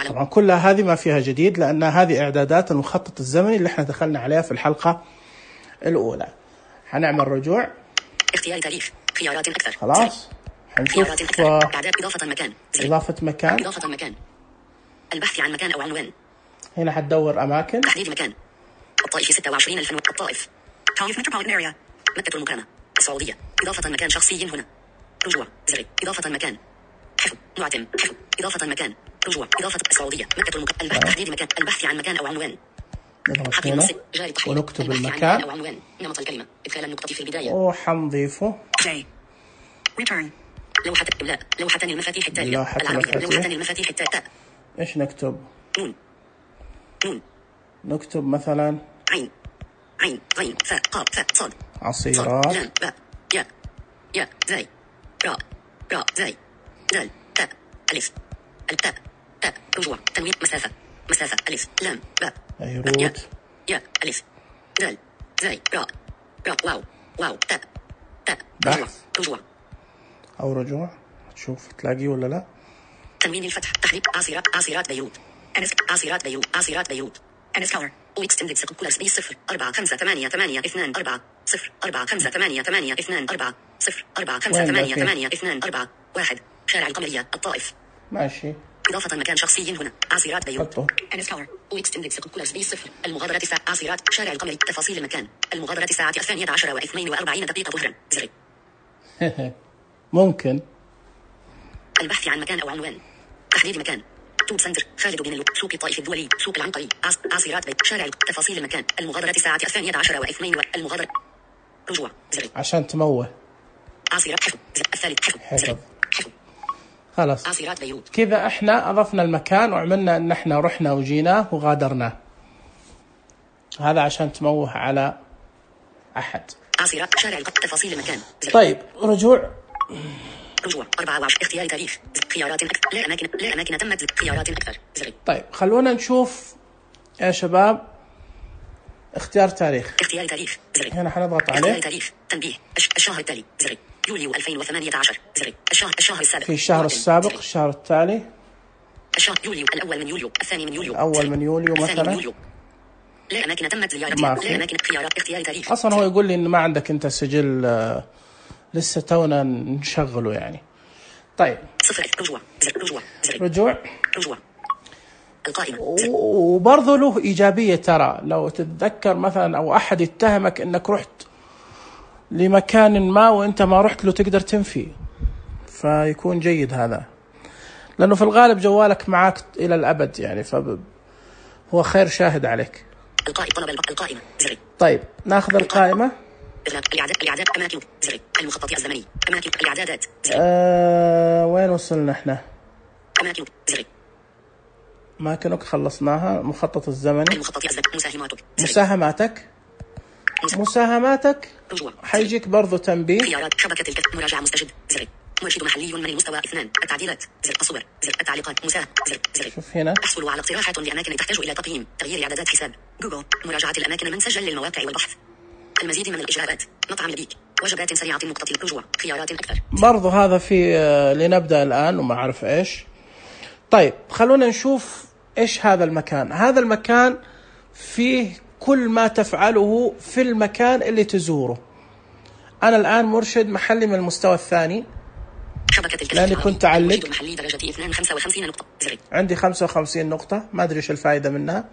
طبعا كلها هذه ما فيها جديد لأن هذه إعدادات المخطط الزمني اللي احنا دخلنا عليها في الحلقة الأولى. هنعمل رجوع، اختيار تاريخ، خيارات أكثر، خلاص حنشوف إضافة مكان، البحث عن مكان أو عنوان. هنا حتدور أماكن، تحديد مكان، الطائف 26,000 الطائف، طائف متروبوليتان أريا، مكة المكرمة، السعودية. إضافة مكان شخصي هنا، رجوع زر، إضافة مكان، حفظ معتم، حفظ إضافة مكان، رجوع إضافة السعودية، مكة المكرمة، البحث تحديد مكان، البحث عن مكان أو عنوان. نضغط هنا ونكتب المكان أو عنوان، نمط الكلمة، إدخال النقطة في البداية، وحنضيفه return. لوحة إملاء، لوحة المفاتيح التالية العربية، لوحة المفاتيح التالية. إيش نكتب؟ نون. نكتب مثلا عين فاء قاف فاء صاد عصيرات لام باء يا زاي راء زاي دال تاء ألف التاء تاء رجوع تنوين مسافة ألف لام باء يا ألف دال زاي راء واو تاء رجوع أو رجوع. تشوف تلاقيه ولا لا. تنوين الفتح تحريك عصيرات بيروت عصيرات بيروت أنس كولر وإكستندد سيكولر سبيس 0 4 5 8 8 2 4 0 4 5 8 8 2 4 0 4 5 8 8 2 4 1 شارع القمرية الطائف. ماشي. إضافة مكان شخصي هنا عصيرات بيروت أنس كولر وإكستندد سيكولر سبيس 0 المغادرة الساعة عصيرات شارع القمرية. تفاصيل المكان المغادرة الساعة 12:42 ظهرا زر. ممكن البحث عن مكان أو عنوان تحديد مكان توب سنتر خالد بن سوق الطائف الدولي سوق العنقري عصيرات بيت شارع. تفاصيل المكان المغادرة الساعة 12:02 المغادرة رجوع زر عشان تموه عصيرات حفظ الثالث حفظ خلاص عاصرات بيروت. كذا احنا اضفنا المكان وعملنا ان احنا رحنا وجيناه وغادرناه. هذا عشان تموه على احد. عاصرات شارع تفاصيل المكان. طيب رجوع 24 اختيار تاريخ خيارات أكثر. لا أماكن تمت خيارات أكثر. طيب خلونا نشوف يا شباب اختيار تاريخ. اختيار تاريخ هنا حنضغط عليه. اختيار تاريخ تنبيه الشهر التالي يوليو 2018 الشهر السابق. في الشهر السابق الشهر التالي. الشهر يوليو الأول من يوليو الثاني من يوليو. الأول من يوليو مثلا. لا أماكن تمت زيارتها. لا أماكن خيارات اختيار تاريخ. أصلا هو يقول لي إن ما عندك أنت سجل لسه تونا نشغله يعني. طيب رجوع القائمة. وبرضه له إيجابية ترى لو تتذكر مثلا أو أحد يتهمك إنك رحت لمكان ما وإنت ما رحت له تقدر تنفي، فيكون جيد هذا لأنه في الغالب جوالك معك إلى الأبد يعني، فهو خير شاهد عليك. القائمة. طيب ناخذ القائمة. الإعداد أماكن المخطط الزمني أماكن الإعدادات. وين وصلنا احنا؟ أماكن أماكنك خلصناها. المخطط الزمني. المخطط الزمني. مساهماتك رجوع. حيجيك برضو تنبيه. خيارات شبكة مراجعة مستجد مرشد محلي من المستوى 2 التعديلات الصور التعليقات مساهم شوف هنا احصلوا على اقتراحات لأماكن تحتاج إلى تقييم تغيير إعدادات حساب جوجل مراجعة الأماكن من سجل للمواقع والبحث المزيد من الإجراءات مطعم لبيك وجبات سريعة نقطة الرجوع خيارات أكثر. برضو هذا في لنبدأ الآن وما أعرف إيش. طيب خلونا نشوف إيش هذا المكان. هذا المكان فيه كل ما تفعله في المكان اللي تزوره. أنا الآن مرشد محلي من المستوى الثاني لأني كنت أعلق محلي درجتي 55 نقطة عندي 55 نقطة ما أدري إيش الفائدة منها.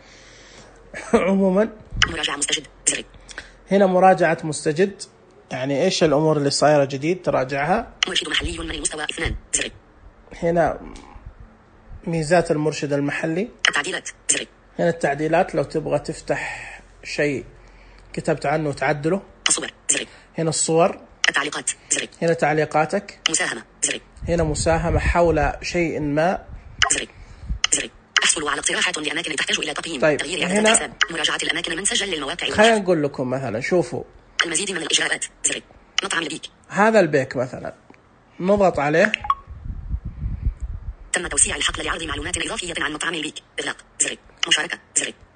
عموما مراجعة مستجد هنا مراجعة مستجد يعني إيش الأمور اللي صايرة جديد تراجعها. مرشد محلي من المستوى 2 هنا ميزات المرشد المحلي. التعديلات هنا التعديلات لو تبغى تفتح شيء كتبت عنه وتعدله. الصور هنا الصور. التعليقات هنا تعليقاتك. مساهمة هنا مساهمة حول شيء ما. احصلوا على اقتراحات لأماكن تحتاج إلى تقييم طيب تغيير هنا حساب مراجعة الأماكن من سجل للمواقع. خلينا نقول لكم مثلا شوفوا المزيد من الإجراءات مطعم لبيك. هذا البيك مثلا نضغط عليه. تم توسيع الحقل لعرض معلومات إضافية عن مطعم البيك. إغلاق مشاركة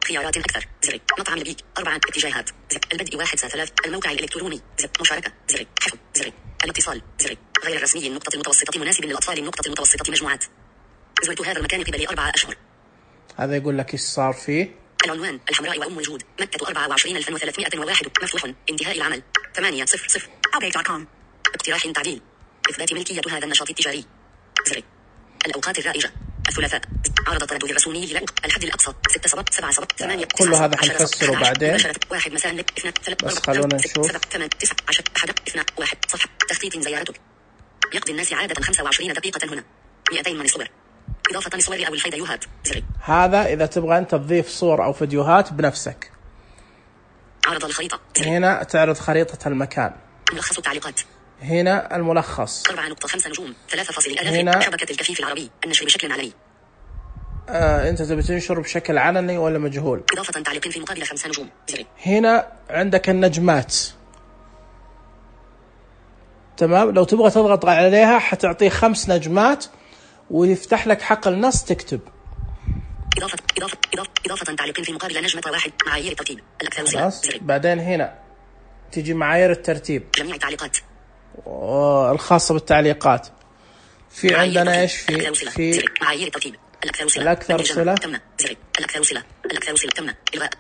خيارات أكثر مطعم البيك 4 اتجاهات البدء 1/3 الموقع الإلكتروني مشاركة حفظ الاتصال غير الرسمي النقطة المتوسطة مناسب للأطفال النقطة المتوسطة مجموعات. زرت هذا المكان قبل 4 أشهر. هذا يقول لك إيش صار فيه. العنوان الحمراء وأم الجود مكة 24,301 مفتوح انتهاء العمل 8:00 update.com اقتراح تعديل إثبات ملكية هذا النشاط التجاري الأوقات الرائجة الثلاثاء عرض تردد الرسومي للعقد الحد الأقصى 6 صبت 7 صبت 8 كل هذا حنفسره بعدين. 1 مساء 2 3 بس خلونا نشوف 7 8 9 10 1 2 1 صفحة تخطيط زيارتك يقضي الناس عادة 25 دقيقة هنا 200 من الصور إضافة الصور أو الفيديوهات هذا إذا تبغى أنت تضيف صور أو فيديوهات بنفسك. عرض الخريطة هنا تعرض خريطة المكان. ملخص التعليقات هنا الملخص 4.5 نجوم 3.0 هنا شبكة الكفيف العربي النشر بشكل علني. أنت تبي تنشر بشكل علني ولا مجهول. إضافة تعليق في مقابل 5 نجوم. هنا عندك النجمات تمام. لو تبغى تضغط عليها حتعطيه 5 نجمات ويفتح لك حقل نص تكتب. إضافة تعليق في مقابل نجمة 1 معايير الترتيب الأكثر خلاص. بعدين هنا تيجي معايير الترتيب جميع التعليقات الخاصة بالتعليقات. في عندنا إيش في معايير الترتيب الأكثر صلة الأكثر صلة تم الأكثر صلة تم إلغاء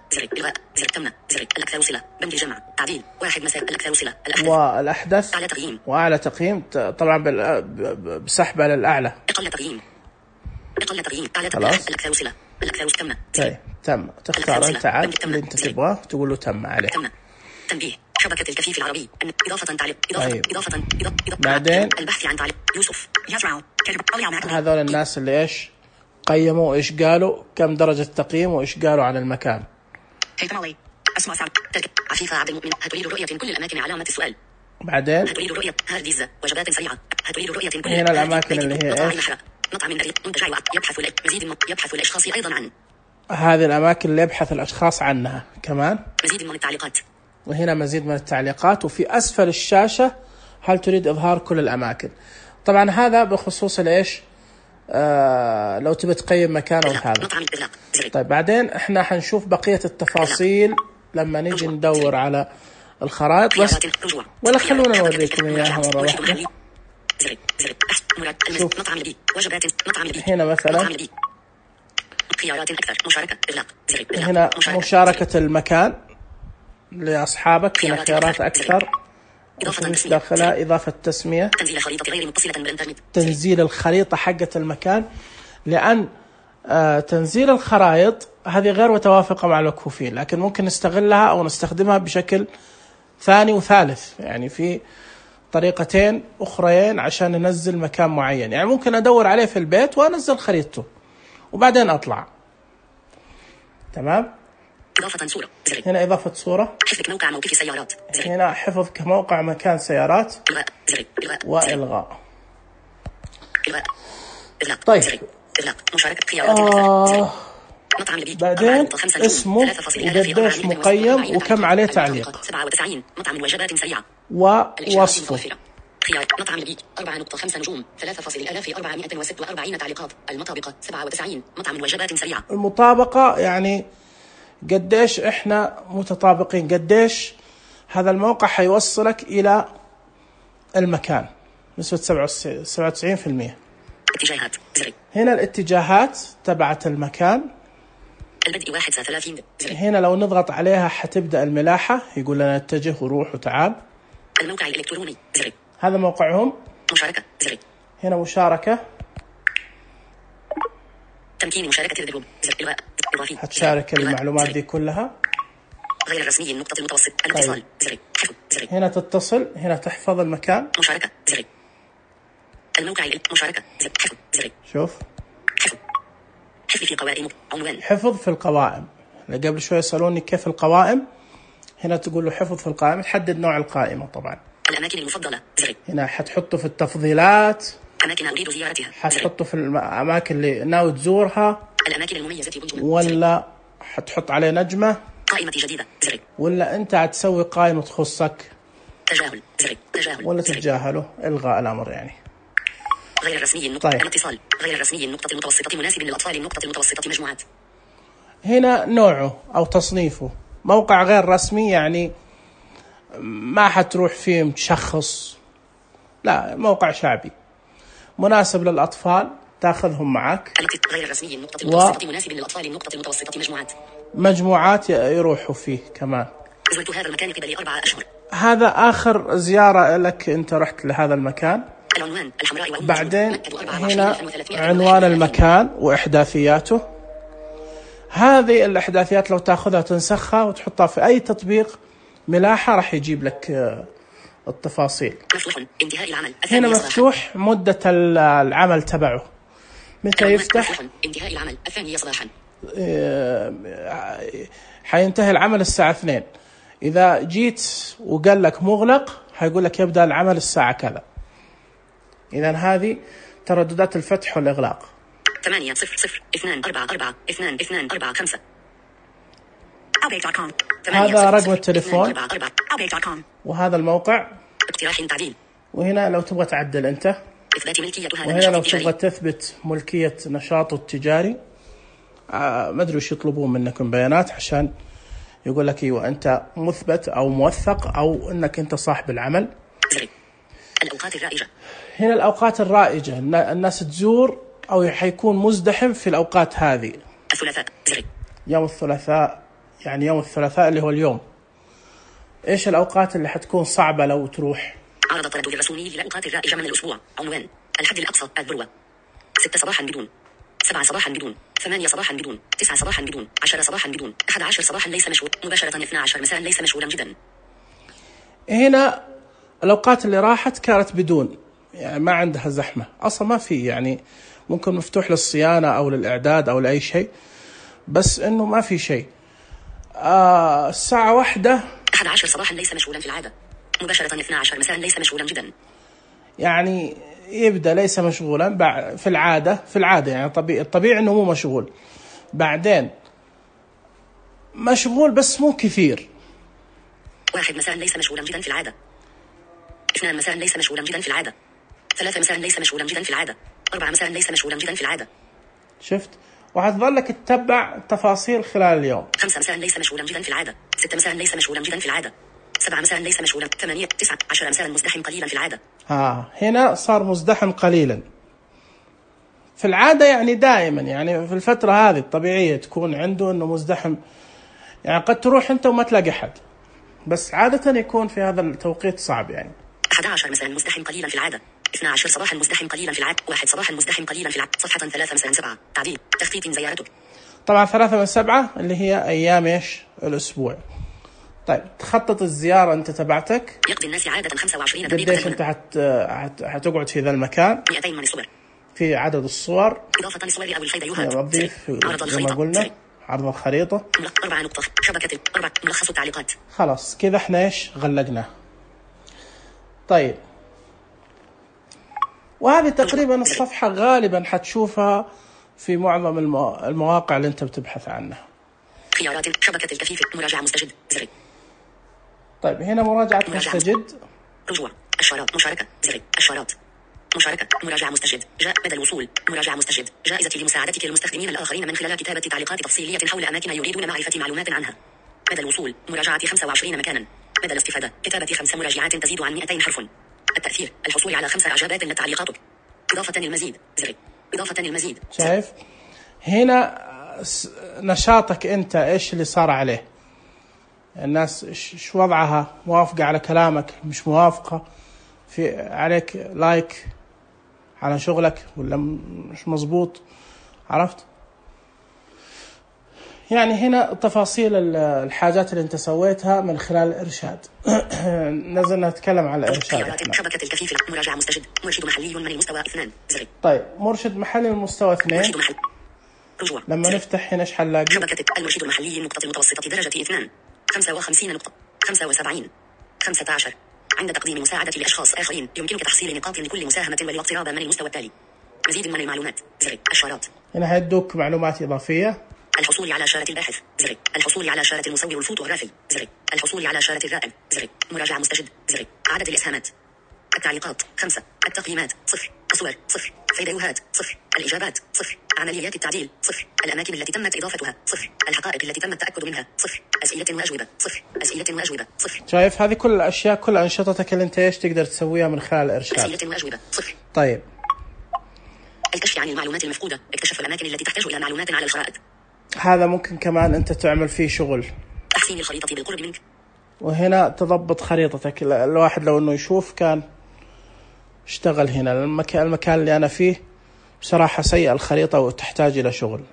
تم الأكثر صلة بند الجمع تعديل 1 مساء الأكثر صلة والأحدث أعلى تقييم وأعلى تقييم طبعا بسحب على الأعلى أقل تقييم أعلى تقييم الأكثر صلة الأكثر تم. طيب تم تختار أنت عاد اللي أنت تبغاه تقول له تم عليه. تم تنبيه شبكة الكفيف العربي إضافة تعليق إضافة بعدين البحث عن تعليق يوسف هذول الناس اللي إيش قيموا إيش قالوا كم درجة تقييم وإيش قالوا عن المكان. أسماء سعد عفيفة عبد المؤمن هتريد رؤية كل الأماكن علامة السؤال. بعدين هتريد رؤية هارديزة وجبات سريعة تريد رؤية كل هنا الأماكن اللي هي إيش؟ مطعم بريد منتجع يبحث الأشخاص أيضا عن هذه الأماكن اللي يبحث الأشخاص عنها. كمان مزيد من التعليقات، وهنا مزيد من التعليقات. وفي أسفل الشاشة هل تريد إظهار كل الأماكن. طبعا هذا بخصوص الإيش، لو تبي تقيم مكان أو هذا. طيب بعدين إحنا حنشوف بقية التفاصيل لما نيجي ندور على الخرائط بس، ولا خلونا نوريكم إياها مرة واحدة. شوف هنا مثلا خيارات أكثر، مشاركة، إغلاق، هنا مشاركة المكان لأصحابك. هنا خيارات أكثر، مش داخلها إضافة تسمية، تنزيل خريطة غير متصلة بالإنترنت، تنزيل الخريطة حقة المكان، لأن تنزيل الخرائط هذه غير متوافقة مع المكفوفين، لكن ممكن نستغلها أو نستخدمها بشكل ثاني وثالث. يعني في طريقتين أخرين عشان ننزل مكان معين. يعني ممكن أدور عليه في البيت وأنزل خريطته وبعدين أطلع. تمام. إضافة صورة، هنا إضافة صورة، حفظ موقع موقف سيارات، هنا حفظ كموقع مكان سيارات، وإلغاء. طيب مشاركة خيارات بعدين اسمه وقديش مقيم وكم عليه تعليق 97 مطعم وجبات سريعة ووصفه. خيار مطعم لبيك 4.5 نجوم 3,446 تعليقات. المطابقة 97 مطعم وجبات سريعة. المطابقة يعني قديش احنا متطابقين، قديش هذا الموقع حيوصلك إلى المكان. نسبة 97%. اتجاهات هنا الاتجاهات تبعت المكان. البدء 31. هنا لو نضغط عليها حتبدأ الملاحة، يقول لنا اتجه وروح وتعال. الموقع الإلكتروني هذا موقعهم. مشاركة هنا مشاركة، تمكين مشاركة الجروب إضافي، هتشارك المعلومات دي كلها. غير الرسمي النقطة المتوسط الاتصال هنا تتصل، هنا تحفظ المكان. مشاركة الموقع مشاركة شوف حفظ في قوائم عنوان، حفظ في القوائم. قبل شوي يسألوني كيف القوائم، هنا تقول له حفظ في القائمة، تحدد نوع القائمة. طبعا الأماكن المفضلة هنا حتحطه في التفضيلات، أماكن أريد زيارتها حتحطه في الأماكن اللي ناوي تزورها، الأماكن المميزة بالجملة، ولا حتحط عليه نجمة، قائمة جديدة ولا أنت هتسوي قائمة تخصك، تجاهل ولا تتجاهله، إلغاء الأمر. يعني غير الرسمي النقطة طيب. الاتصال غير الرسمي النقطة المتوسطة مناسب للأطفال النقطة المتوسطة مجموعات. هنا نوعه أو تصنيفه موقع غير رسمي، يعني ما حتروح فيه متشخص، لا موقع شعبي مناسب للأطفال، تأخذهم معك. غير الرسمي النقطة المتوسطة مناسب للأطفال النقطة المتوسطة مجموعات يروحوا فيه كمان. زرت هذا المكان قبل 4 أشهر. هذا آخر زيارة لك، أنت رحت لهذا المكان. العنوان الحمراء بعدين هنا عنوان المكان وإحداثياته. هذه الإحداثيات لو تأخذها تنسخها وتحطها في أي تطبيق ملاحة راح يجيب لك التفاصيل. مفتوح انتهاء العمل. هنا مفتوح مدة العمل تبعه، متى يفتح؟ انتهاء العمل 2 صباحا. حينتهي العمل الساعة 2. إذا جيت وقال لك مغلق حيقول لك يبدأ العمل الساعة كذا. إذن هذه ترددات الفتح والإغلاق. 800-244-2245. هذا رقم التليفون، وهذا الموقع. اقتراح تعديل. وهنا لو تبغى تعدل أنت، إثبات ملكية هذا وهنا لو تبغى تثبت ملكية نشاطه التجاري. ما أدري وش يطلبون منكم بيانات عشان يقول لك أيوة أنت مثبت أو موثق أو أنك أنت صاحب العمل. الأوقات الرائجة. هنا الأوقات الرائجة، الناس تزور أو حيكون مزدحم في الأوقات هذه. الثلاثاء. يوم الثلاثاء، يعني يوم الثلاثاء اللي هو اليوم. إيش الأوقات اللي حتكون صعبة لو تروح؟ عرض التردد الرسمي للأوقات الرائجة من الأسبوع. عنوان الحد الأقصى الذروة 6 صباحا بدون، 7 صباحا بدون، 8 صباحا بدون، 9 صباحا بدون، 10 صباحا بدون، 11 صباحا ليس مشهور، مباشرة 12 مساء ليس مشهورا جدا. هنا الأوقات اللي راحت كانت بدون، يعني ما عندها زحمة أصلا، ما في، يعني ممكن مفتوح للصيانة أو للإعداد أو لأي شيء، بس إنه ما في شيء. الساعة 1 11 صباحا ليس مشهورا في العادة، مباشرة 12 مساء ليس مشهورا جدا. يعني يبدأ ليس مشغولا في العادة يعني الطبيعي إنه مو مشغول، بعدين مشغول بس مو كثير. 1 مساء ليس مشغولا جدا في العادة. 2 مساء ليس مشغولا جدا في العادة. 3 مساء ليس مشغولا جدا في العادة. 4 مساء ليس مشغولا جدا في العادة. شفت؟ وحتظلك تتبع التفاصيل خلال اليوم. 5 مساء ليس مشغولا جدا في العادة. 6 مساء ليس مشغولا جدا في العادة. 7 مساء ليس مشغولا. 8 9 10 مساء مزدحم قليلا في العادة. هنا صار مزدحم قليلا في العادة، يعني دائما، يعني في الفترة هذه الطبيعية تكون عنده إنه مزدحم، يعني قد تروح أنت وما تلاقي حد، بس عادة يكون في هذا التوقيت صعب. يعني 11 مساء مزدحم قليلا في العادة. 12 صباحا مزدحم قليلا في العادة. 1 صباحا مزدحم قليلا في العادة. صفحة 3 مساء 7. تعديل تخطيط زيارتك. طبعا 3 من 7 اللي هي أيام إيش الأسبوع. طيب تخطط الزيارة أنت تبعتك. يقضي الناس عادة 25 دقيقة. قديش أنت هتقعد في ذا المكان؟ 200 من الصور. في عدد الصور. إضافة للصور أو الفيديوهات. نضيف عرض الخريطة. كما قلنا عرض الخريطة. 4 نقطة. شبكة 4 ملخص التعليقات. خلاص كذا احنا ايش غلقناه. طيب وهذه تقريبا الصفحة غالبا حتشوفها في معظم المواقع اللي انت بتبحث عنها. خيارات شبكة الكفيف. مراجعة مستجد. زر. طيب هنا مراجعة مستجد. رجوع. الشارات. مشاركة. زر. الشارات. مشاركة. مراجعة مستجد. جاء بدل الوصول. مراجعة مستجد. جائزة لمساعدتك المستخدمين الآخرين من خلال كتابة تعليقات تفصيلية حول أماكن يريدون معرفة معلومات عنها. بدل الوصول. مراجعة 25 مكانا. بدل الاستفادة. كتابة 5 مراجعات تزيد عن 200 حرف. التأثير. الحصول على 5 إعجابات لتعليقاتك. إضافة المزيد. زر. إضافة المزيد. شايف هنا نشاطك أنت إيش اللي صار عليه، الناس إيش وضعها، موافقة على كلامك، مش موافقة، في عليك لايك على شغلك ولا مش مزبوط، عرفت؟ يعني هنا تفاصيل الحاجات اللي انت سويتها من خلال الإرشاد. نزلنا نتكلم على الإرشاد. شبكة الكفيف. مراجعة مستجد. مرشد محلي من المستوى 2. زر. طيب مرشد محلي من المستوى 2. مرشد محل. رجوع. لما نفتح هنا ايش حنلاقي؟ شبكة المرشد المحلي النقطة المتوسطة درجة 2. 55 نقطة. 75. 15. عند تقديم مساعدة لأشخاص آخرين يمكنك تحصيل نقاط لكل مساهمة والاقتراب من المستوى التالي. مزيد من المعلومات. زر. الشارات. هنا هيدوك معلومات إضافية. الحصول على شارة الباحث. زر. الحصول على شارة المصور الفوتوغرافي. زر. الحصول على شارة الرائد. زر. مراجعة مستجد. زر. عدد الإسهامات. التعليقات 5. التقييمات 0. الصور 0. فيديوهات 0. الإجابات 0. عمليات التعديل 0. الأماكن التي تمت إضافتها 0. الحقائق التي تم التأكد منها 0. أسئلة وأجوبة 0. أسئلة وأجوبة 0. شايف هذه كل الأشياء، كل أنشطتك اللي أنت إيش تقدر تسويها من خلال الإرشاد. أسئلة وأجوبة 0. طيب الكشف عن المعلومات المفقودة. اكتشف الأماكن التي تحتاج إلى معلومات على الخرائط. هذا ممكن كمان أنت تعمل فيه شغل. تحسين الخريطة بالقرب منك. وهنا تضبط خريطتك. الواحد لو إنه يشوف كان اشتغل هنا. المكان اللي أنا فيه بصراحة سيء الخريطة وتحتاج إلى شغل.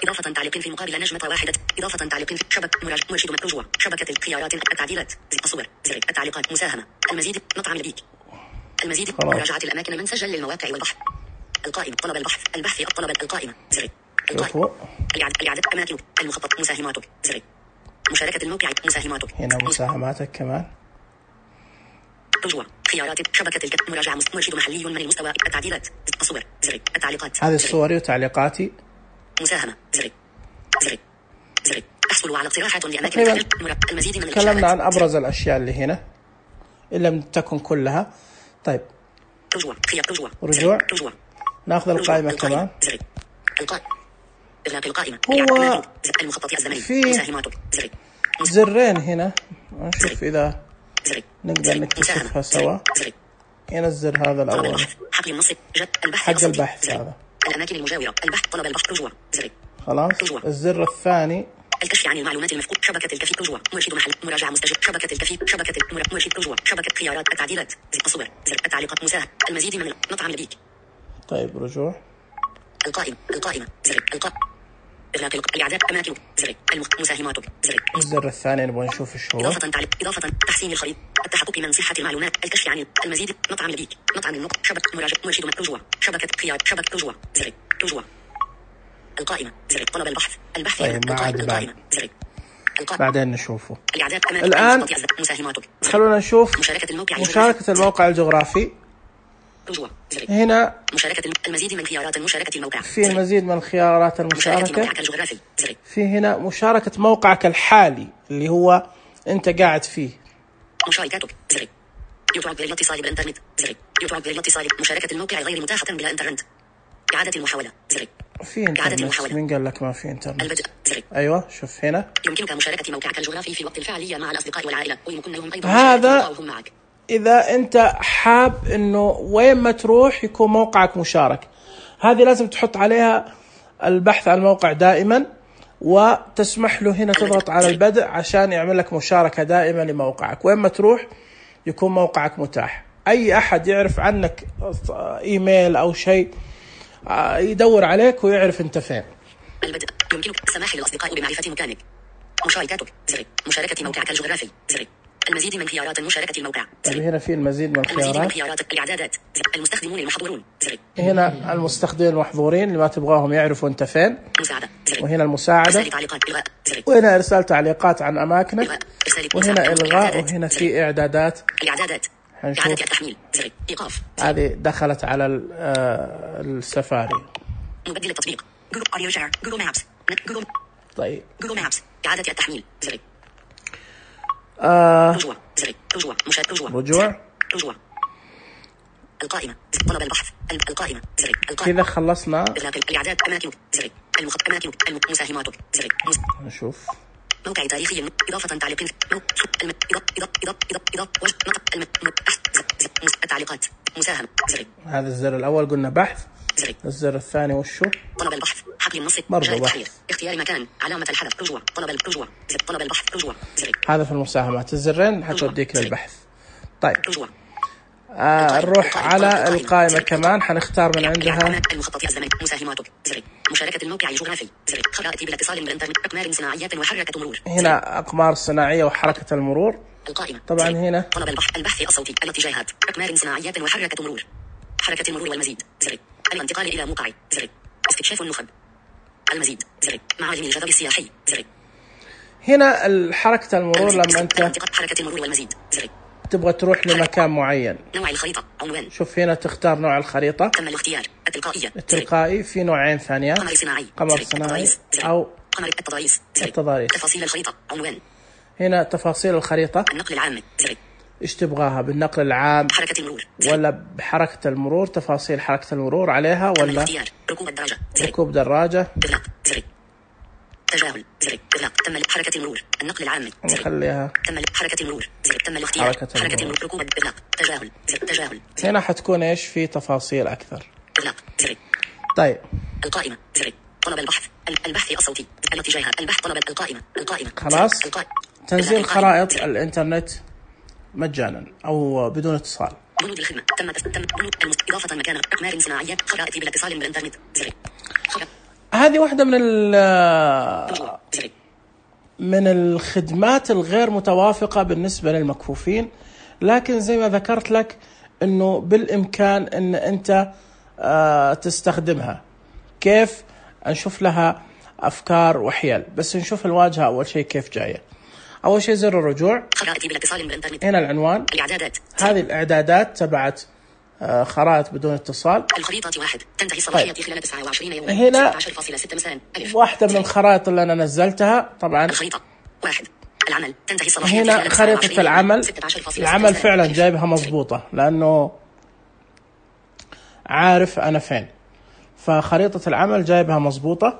إضافة تعليق في مقابل نجمة واحدة. إضافة تعليق في شبكة مرشد رجوع. شبكة الخيارات. التعديلات. الصور. زر. التعليقات. مساهمة. المزيد. مطعم لبيك. المزيد. مراجعة الأماكن من سجل للمواقع والبحث. القائمة. طلب البحث. البحث. الطلب. القائمة. زر. القائمة. الإعادة. أماكن. المخطط. مساهماتك. زر. مشاركة الموقع. مساهماتك. هنا مساهماتك كمان. رجوع. خيارات. شبكة مراجعة. مرشد محلي من المستوى. التعديلات. الصور. زر. التعليقات. هذه صوري وتعليقاتي. مساهمة. زر. زر. زر. أحصل على اقتراحات لأماكن. المزيد من تكلمنا عن أبرز الأشياء اللي هنا إن لم تكن كلها. طيب رجوع. خيار. رجوع. رجوع. ناخذ القائمة كمان. زر. القائمة. إغلاق القائمة. هو المخطط الزمني. في مساهماتك. زر. زرين هنا نشوف إذا زر. نقدر نكتشفها سوا. هنا الزر هذا الأول حقل النص. البحث. حق البحث هذا. الأماكن المجاورة. البحث. طلب البحث. رجوع. زر. خلاص. الزر الثاني الكشف عن المعلومات المفقودة. شبكة الكفيف. رجوع. مرشد محل. مراجعة مستجد. شبكة الكفيف. شبكة مرشد. رجوع. شبكة خيارات. التعديلات. الصور. زر. التعليقات. مساهمة. المزيد من مطعم لبيك. طيب رجوع. القائمة. زر. القائمة. إغلاق الإعداد. أماكن. زر. مساهماتك. زر. الزر الثاني نبغى نشوف ايش هو. إضافة تحسين الخريطة. التحقق من صحة المعلومات. الكشف عن المزيد. مطعم لبيك. مطعم النقط. شبكة مرشد. رجوع. شبكة خيار. شبكة رجوع. زر. رجوع. القائمة. زر. طلب البحث. البحث. طيب القائمة. زر. بعدين نشوفه. الآن خلونا نشوف مشاركة الموقع الجغرافي. رجوع زر. هنا مشاركة المزيد من خيارات المشاركة الموقع. في المزيد من خيارات مشاركة المشاركة. موقعك الجغرافي زر. في هنا مشاركة موقعك الحالي اللي هو أنت قاعد فيه. مشاركاتك زر. يطلب للاتصال بالإنترنت زر. يطلب للاتصال. مشاركة الموقع غير متاحة بلا إنترنت. إعادة المحاولة زر. في انترنت. مين قال لك ما في انترنت؟ البدء زر. ايوه شوف هنا. يمكنك مشاركة موقعك الجغرافي في الوقت الفعلي مع الأصدقاء والعائلة ويمكن لهم أيضا هذا معك. إذا أنت حاب إنه وين ما تروح يكون موقعك مشارك. هذه لازم تحط عليها البحث عن الموقع دائما وتسمح له هنا تضغط على البدء عشان يعمل لك مشاركة دائما لموقعك. وين ما تروح يكون موقعك متاح. أي أحد يعرف عنك إيميل أو شيء يدور عليك ويعرف أنت فين. البدء. يمكنك السماح للأصدقاء بمعرفة مكانك. مشاركاتك زر. مشاركة موقعك الجغرافي زر. المزيد من خيارات المشاركة الموقع زر. هنا في المزيد من المزيد من خيارات الإعدادات زر. المستخدمون المحظورون زر. هنا المستخدمين المحظورين اللي ما تبغاهم يعرفوا أنت فين. مساعدة زر. وهنا المساعدة. إرسال تعليقات إلغاء زر. وهنا إرسال تعليقات عن أماكنك. وهنا إلغاء. وهنا زر. في إعدادات. الإعدادات. إعادة التحميل زر. إيقاف. هذه دخلت على السفاري. مبدل التطبيق جوجل أوديو شير جوجل مابس جوجل. طيب جوجل مابس. إعادة التحميل زر. رجوع زر. رجوع رجوع. القائمة طلب البحث القائمة زر. القائمة. كذا خلصنا. الإعداد أماكنك زر. أماكنك مساهماتك زر. نشوف. موقع تاريخي إضافة تعليق التعليقات مساهمة زر. هذا الزر الأول قلنا بحث زر. الزر الثاني وشو؟ طلب البحث حقل النص برضو بحث. اختيار مكان علامة الحذف رجوع طلب الرجوع زر. طلب البحث رجوع زر. هذا في المساهمات الزرين حتوديك للبحث. طيب رجوع. نروح على القائمة كمان حنختار من عندها المخطط الزمني مساهماتك زر. مشاركة الموقع الجغرافي زر. خرائط بالاتصال بالإنترنت أقمار صناعية وحركة مرور. هنا أقمار صناعية وحركة المرور. القائمة طبعا زر. هنا طلب البحث الصوتي الاتجاهات أقمار صناعية وحركة مرور. حركة المرور والمزيد زر. الانتقال إلى موقع زر. استكشاف النخب. المزيد زر. معالم الجذب السياحي زر. هنا حركة المرور لما أنت حركة المرور والمزيد زر. تبغى تروح لمكان معين. نوع الخريطة عنوان. شوف هنا تختار نوع الخريطة. تم الاختيار التلقائية. التلقائي في نوعين ثانية. قمر صناعي. قمر صناعي أو قمر التضاريس. التضاريس. تفاصيل الخريطة عنوان. هنا تفاصيل الخريطة. النقل العام زر. إيش تبغاها بالنقل العام؟ حركة المرور زر. ولا بحركة المرور تفاصيل حركة المرور عليها ولا؟ الاختيار ركوب الدراجة زر. ركوب دراجة. إغلاق زر. تجاهل زر. إغلاق تم حركة المرور النقل العام زر. نخليها تم حركة المرور زر. تم الاختيار حركة المرور ركوب إغلاق تجاهل زر. تجاهل زر. هنا حتكون إيش في تفاصيل أكثر. إغلاق زر. طيب القائمة زر. طلب البحث البحث الصوتي الاتجاهات البحث طلب القائمة خلاص. تنزيل خرائط الإنترنت مجانا أو بدون اتصال. بنود الخدمة تم بنود إضافة مكان أقمار صناعية خرائط بالاتصال بالإنترنت زر. هذه واحدة من الخدمات الغير متوافقة بالنسبة للمكفوفين، لكن زي ما ذكرت لك إنه بالإمكان إن أنت تستخدمها. كيف؟ نشوف لها أفكار وحيل، بس نشوف الواجهة أول شيء كيف جاية. أول شيء زر الرجوع. خرائط بالاتصال بالإنترنت. هنا العنوان. الإعدادات. هذه الإعدادات تبعت خرائط بدون اتصال. الخريطة 1 تنتهي صلاحيتها خلال 29 يوما. هنا 16.6 مساء. واحدة من الخرائط اللي أنا نزلتها طبعا. الخريطة 1 العمل تنتهي صلاحيتها. هنا خريطة العمل فعلا جايبها مضبوطة لأنه عارف أنا فين، فخريطة العمل جايبها مضبوطة.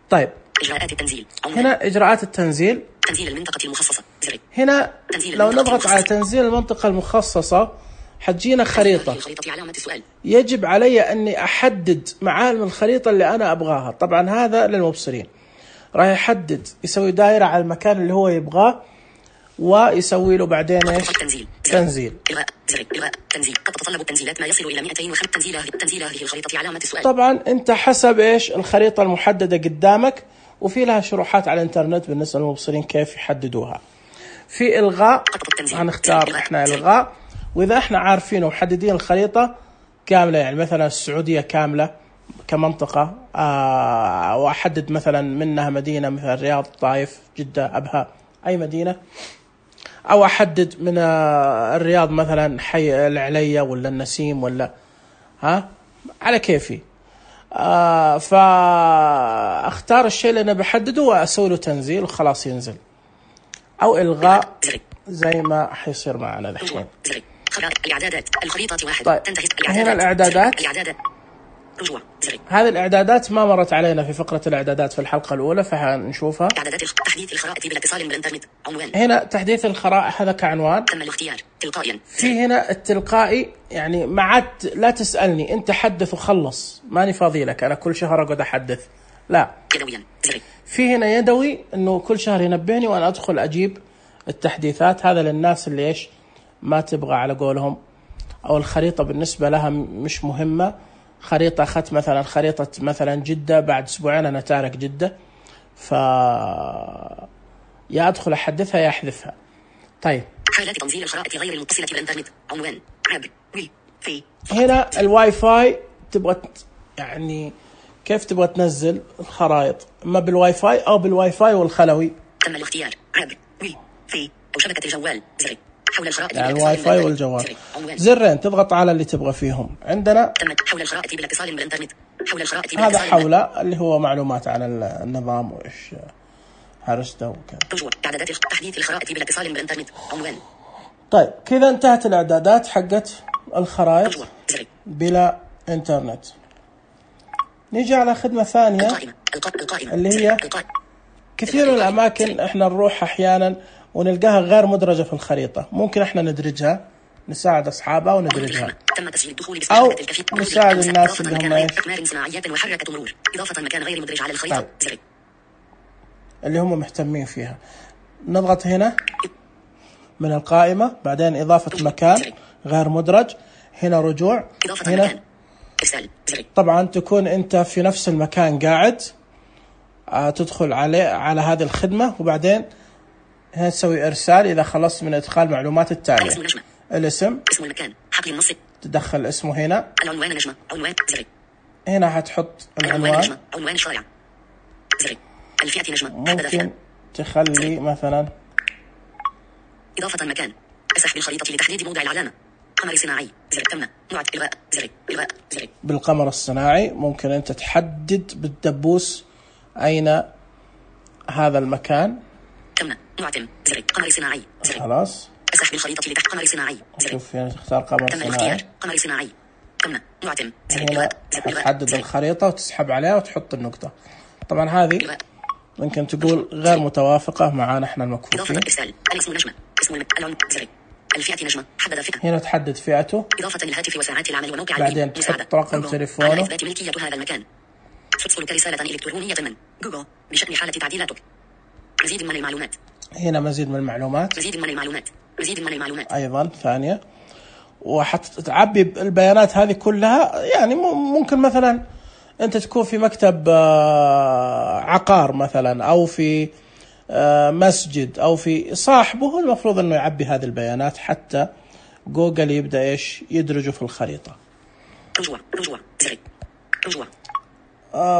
طيب إجراءات التنزيل. هنا إجراءات التنزيل. تنزيل المنطقة المخصصة زر. هنا لو نضغط على تنزيل المنطقة المخصصة حتجينا خريطة. يجب علي أني أحدد معالم الخريطة اللي أنا أبغاها. طبعا هذا للمبصرين، راح يحدد يسوي دائرة على المكان اللي هو يبغاه ويسوي له بعدين إيش؟ تنزيل. إلغاء زر. إلغاء تنزيل. قد تتطلب التنزيلات ما يصل إلى 205 تنزيل هذه الخريطة علامة السؤال. طبعا أنت حسب إيش الخريطة المحددة قدامك، وفي لها شروحات على الإنترنت بالنسبة للمبصرين كيف يحددوها. في إلغاء هنختار إحنا إلغاء، وإذا إحنا عارفين ومحددين الخريطة كاملة، يعني مثلا السعودية كاملة كمنطقة، وأحدد مثلا منها مدينة مثل الرياض، طائف، جدة، أبها، أي مدينة، أو أحدد من الرياض مثلا حي العليا ولا النسيم ولا على كيفي. فاختار الشيء اللي انا بحدده واسوي له تنزيل وخلاص ينزل، او الغاء زي ما حيصير معنا الحين. الاعدادات الخريطة 1. طيب هنا الاعدادات. رجوع. هذه الاعدادات ما مرت علينا في فقرة الاعدادات في الحلقة الاولى، فحنشوفها. اعدادات تحديث الخرائط بالاتصال بالانترنت. عنوان. هنا تحديث الخرائط هذا كعنوان. تم الاختيار تلقائيا. في هنا التلقائي، يعني ما عاد لا تسألني انت حدث وخلص، ماني فاضي لك انا كل شهر اقعد احدث، لا. يدويا. في هنا يدوي، انه كل شهر ينبهني وانا ادخل اجيب التحديثات. هذا للناس اللي ايش ما تبغى على قولهم، او الخريطة بالنسبة لها مش مهمة. خريطة أخذت مثلا خريطة مثلا جدة، بعد أسبوعين أنا تارك جدة، يا أدخل أحدثها يا أحذفها. طيب حالات تنزيل الخرائط غير المتصلة بالإنترنت. عنوان عبر وي في. هنا الواي فاي تبغى يعني كيف تبغى تنزل الخرائط، اما بالواي فاي او بالواي فاي والخلوي. تم الاختيار عبر وي في او شبكة الجوال. زر حول الخرائط يعني الواي فاي والجوال، زرين تضغط على اللي تبغى فيهم. عندنا حول الخرائط بالاتصال بالإنترنت. حول الخرائط هذا حوله اللي هو معلومات عن النظام وايش هرسته وكذا. رجوع اعدادات تحديث الخرائط بالاتصال بالإنترنت. عنوان. طيب كذا انتهت الاعدادات حقت الخرائط بلا انترنت. نيجي على خدمة ثانية القائمة. اللي هي كثير من الأماكن إحنا نروح أحيانا ونلقاها غير مدرجة في الخريطة، ممكن إحنا ندرجها، نساعد أصحابها وندرجها، أو نساعد الناس اللي هم أقمار صناعيات وحركة مرور. إضافة مكان غير مدرج على الخريطة. طيب. اللي هم مهتمين فيها نضغط هنا من القائمة، بعدين إضافة مكان غير مدرج، هنا رجوع، هنا طبعا تكون أنت في نفس المكان قاعد، تدخل على هذه الخدمة، وبعدين هنا تسوي إرسال إذا خلصت من إدخال معلومات التالية. الاسم، اسم المكان، حقل النص، تدخل اسمه هنا. العنوان نجمة، عنوان زر. هنا هتحط العنوان، عنوان الشارع زر. الفئة نجمة، ممكن تخلي مثلا إضافة مكان، أسح بالخريطة لتحديد موضع العلامة. قمر صناعي زر. تم نوع إلغاء زر. إلغاء زر. بالقمر الصناعي ممكن أنت تحدد بالدبوس أين هذا المكان. تم نوع تم زر. قمر صناعي زر. خلاص أسح بالخريطة لتحت قمر صناعي زر. شوف هنا تختار قمر صناعي. قمر صناعي تم نوع تم زر. هنا تحدد الخريطة وتسحب عليها وتحط النقطة. طبعا هذه ممكن تقول غير متوافقة معنا احنا المكفوفين. إضافة إرسال الاسم نجمة، اسم العنوان زر. الفئة نجمة، حدد فئة. هنا تحدد فئته. إضافة للهاتف وساعات العمل وموقع بعدين تحط رقم تليفونه. على إثبات ملكية هذا المكان. ترسلك رسالة إلكترونية من جوجل بشأن حالة تعديلاتك. مزيد من المعلومات. هنا مزيد من المعلومات. مزيد من المعلومات. مزيد من المعلومات. أيضا ثانية. وحتعبي البيانات هذه كلها، يعني ممكن مثلا أنت تكون في مكتب عقار مثلا، أو في مسجد، أو في صاحبه، المفروض أنه يعبي هذه البيانات حتى جوجل يبدأ إيش يدرجه في الخريطة. رجوع زر. رجوع.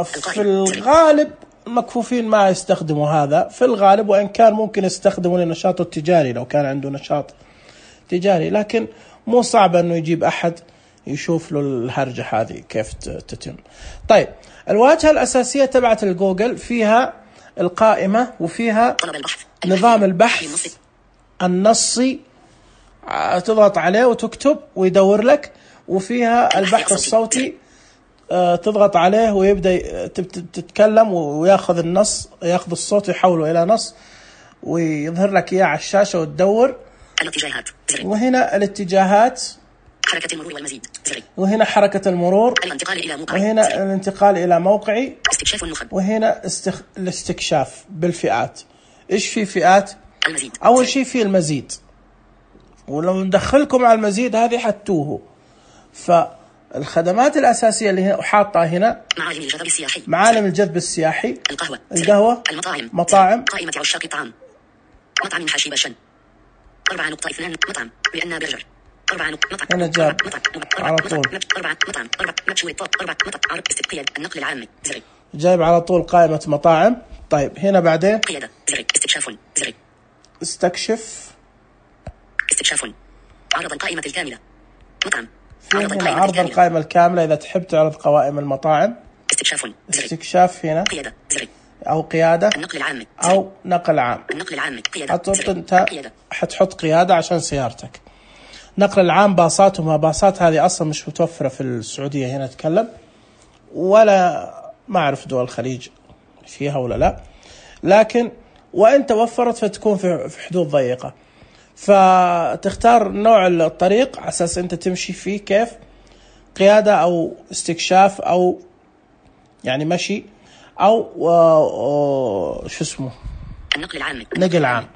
في الغالب المكفوفين ما يستخدموا هذا في الغالب، وإن كان ممكن يستخدموا للنشاط التجاري لو كان عنده نشاط تجاري، لكن مو صعب أنه يجيب أحد يشوف له الهرجة هذه كيف تتم. طيب الواجهة الأساسية تبعت الجوجل فيها القائمة، وفيها نظام البحث النصي، تضغط عليه وتكتب ويدور لك، وفيها البحث الصوتي، تضغط عليه ويبدأ تتكلم ويأخذ النص، يأخذ الصوت يحوله إلى نص ويظهر لك إياه على الشاشة وتدور. الاتجاهات. وهنا الاتجاهات، حركة المرور والمزيد زر. وهنا حركة المرور، الانتقال إلى موقعي، وهنا زر. الانتقال إلى موقعي، استكشاف النخب، وهنا الاستكشاف بالفئات. إيش في فئات؟ المزيد. أول شيء في المزيد، ولو ندخلكم على المزيد هذه حتوه. فالخدمات الأساسية اللي هنا حاطة هنا معالم الجذب السياحي، معالم الجذب السياحي، القهوة، مطاعم، قائمة عشاق الطعام، مطعم حشيب الشن، 4.2 مطعم بأن برجر، 4 مطعم، هنا جاب على طول 4 مطعم، 4 مشوي الطاق، 4 مطعم، عرض استقياد النقل العامي زر. جايب على طول قائمة مطاعم. طيب هنا بعدين قيادة زر. استكشاف زر. استكشاف، عرض القائمة الكاملة، مطعم في هنا عرض القائمة الكاملة إذا تحب تعرض قوائم المطاعم. استكشاف هنا أو قيادة أو نقل عام. أنت حتحط قيادة عشان سيارتك. نقل العام باصات وما باصات هذه أصلا مش متوفرة في السعودية هنا أتكلم، ولا ما أعرف دول الخليج فيها ولا لا، لكن وإن توفرت فتكون في حدود ضيقة. فتختار نوع الطريق على أساس أنت تمشي فيه كيف، قيادة أو استكشاف أو يعني مشي أو شو اسمه نقل عام.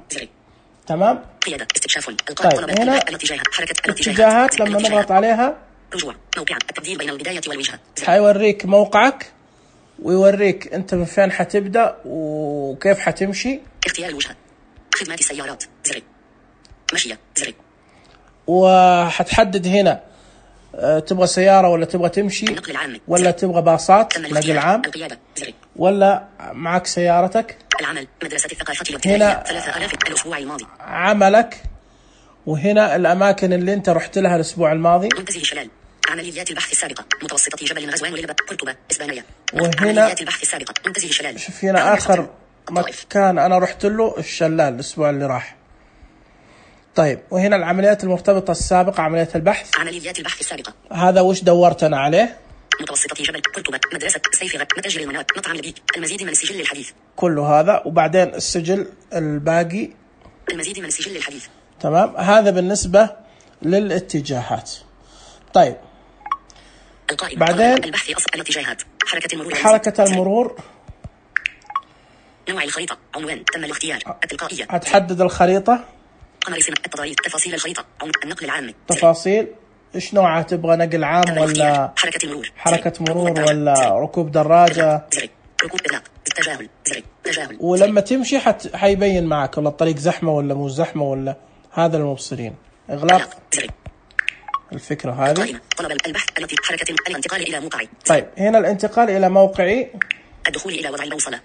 تمام. قيادة استكشاف. طيب هنا الاتجاهات لما نضغط عليها رجوع موقع التبديل بين البداية والوجهة، حيوريك موقعك ويوريك أنت من فين حتبدأ وكيف حتمشي. اختيار الوجهة، خدمات السيارات زر، مشية زر، وحتحدد هنا تبغى سيارة ولا تبغى تمشي ولا تبغى باصات نقل عام ولا معك سيارتك. العمل مدرسة الثقافة الابتدائية 3000 الأسبوع الماضي. عملك، وهنا الأماكن اللي أنت رحت لها الأسبوع الماضي. منتزه شلال، عمليات البحث السابقة، متوسطة جبل غزوان وللبة، قرطبة، إسبانية. وهنا عمليات البحث السابقة، منتزه شلال. شوف هنا آخر مكان أنا رحت له الشلال الأسبوع اللي راح. طيب وهنا العمليات المرتبطة السابقة، عمليات البحث. عمليات البحث السابقة. هذا وش دورت أنا عليه؟ متوسطة جبل، قرطبة، مدرسة سيفغة، متاجر المناط، مطعم لبيك، المزيد من السجل الحديث. كل هذا وبعدين السجل الباقي، المزيد من السجل الحديث. تمام. هذا بالنسبة للاتجاهات. طيب بعدين البحث الاتجاهات، حركة المرور، نوع الخريطة، عنوان، تم الاختيار، التلقائية. هتحدد الخريطة، قمر سمة، التضاريس، تفاصيل الخريطة، النقل العام. تفاصيل إيش نوعها، تبغى نقل عام ولا حركة مرور ولا ركوب دراجة. ركوب إغلاق، تجاهل، تجاهل. ولما تمشي حيبين معك والله الطريق زحمة ولا مو زحمة ولا هذا المبصرين. إغلاق الفكرة هذه. طلب البحث التي حركة الانتقال إلى موقعي. طيب هنا الانتقال إلى موقعي، الدخول إلى وضع البوصلة.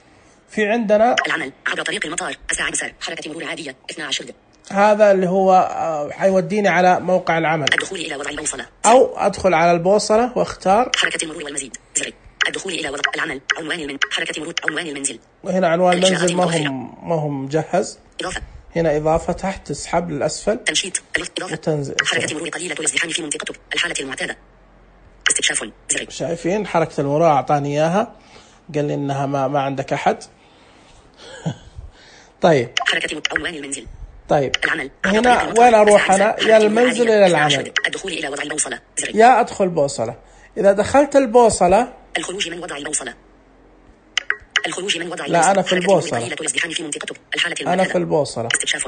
في عندنا العمل عبر طريق المطار، أسرع مسار، حركة مرور عادية 12 دقيقة. هذا اللي هو حيوديني على موقع العمل. الدخول إلى وضع البوصلة، أو أدخل على البوصلة واختار حركة المرور والمزيد زر. الدخول إلى وضع العمل، عنوان حركة مرور، عنوان المنزل. وهنا عنوان المنزل ما هم مجهز. إضافة. هنا إضافة تحت، تسحب للأسفل. تنشيط، إضافة. وتنزل. حركة مرور قليلة الازدحام في منطقته، الحالة المعتادة. استكشاف زر. شايفين حركة المرور أعطاني إياها، قال لي إنها ما عندك أحد. طيب حركة عنوان المنزل. طيب العمل. هنا وين أروح أنا؟ يا المنزل إلى العمل. الدخول إلى وضع البوصلة زر. يا أدخل بوصلة. إذا دخلت البوصلة، الخروج من وضع البوصلة. الخروج من وضع لا أنا في البوصلة. في منطقته، الحالة أنا في البوصلة. استكشاف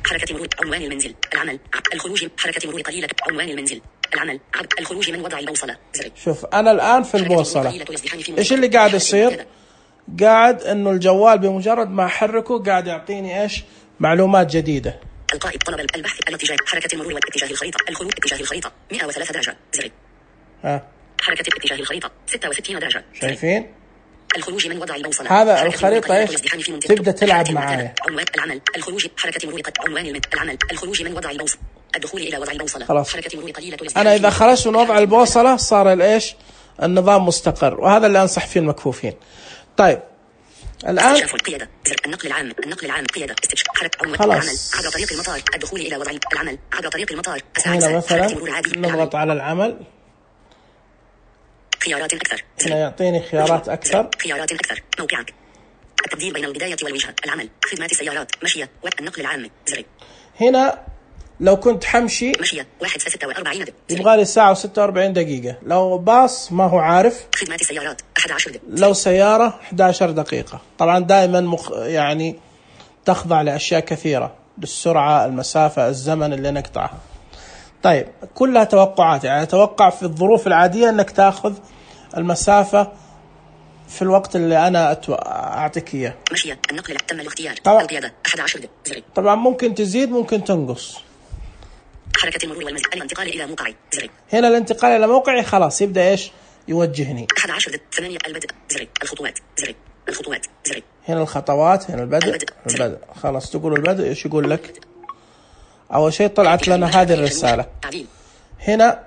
حركة مرور، عنوان المنزل. العمل. الخروج، حركة مرور قليلة، عنوان المنزل. العمل. الخروج من وضع البوصلة زر. شوف أنا الآن في البوصلة، إيش اللي قاعد يصير؟ قاعد إنه الجوال بمجرد ما أحركه قاعد يعطيني إيش؟ معلومات جديدة. القائد طلب البحث الاتجاه، حركة المرور واتجاه الخريطة، الخروج اتجاه الخريطة 103 درجة زر. حركة اتجاه الخريطة 66 درجة. شايفين؟ الخروج من وضع البوصلة. هذا الخريطة إيش؟ تبدأ تلعب معايا. عنوان العمل، الخروج، حركة مرور عنوان العمل، الخروج من وضع البوصلة، الدخول إلى وضع البوصلة. خلاص. حركة مرور قليلة. أنا إذا خرجت من وضع البوصلة صار الإيش؟ النظام مستقر، وهذا اللي أنصح فيه المكفوفين. طيب الآن قيادة زر. النقل العام، النقل العام، قيادة استكشاف حركة عنوان العمل عبر طريق المطار، الدخول إلى وضع العمل عبر طريق المطار. هنا مثلا نضغط على العمل، خيارات أكثر. هنا يعطيني خيارات أكثر. خيارات أكثر، موقعك، التبديل بين البداية والوجهة، العمل، خدمات السيارات، مشية، والنقل العام زر. هنا لو كنت حمشي مشية 1:46 يبغى لي ساعة و46 دقيقة. لو باص ما هو عارف. خدمات السيارات 11 دقيقة. لو سيارة 11 دقيقة. طبعا دائما يعني تخضع لأشياء كثيرة، للسرعة، المسافة، الزمن اللي نقطعها. طيب كلها توقعات، يعني أتوقع في الظروف العادية أنك تأخذ المسافة في الوقت اللي أنا أعطيك إياه. مشية، النقل تم الاختيار، القيادة 11 دقيقة. طبعا ممكن تزيد ممكن تنقص. حركة المرور والمزيد، الانتقال إلى موقعي زر. هنا الانتقال إلى موقعي خلاص يبدأ إيش يوجهني. 11 دقيقة 8 البدء زر. الخطوات زر. الخطوات زر. هنا الخطوات، هنا البدء. خلاص تقول البدء إيش يقول لك؟ أول شيء طلعت لنا هذه الرسالة. هنا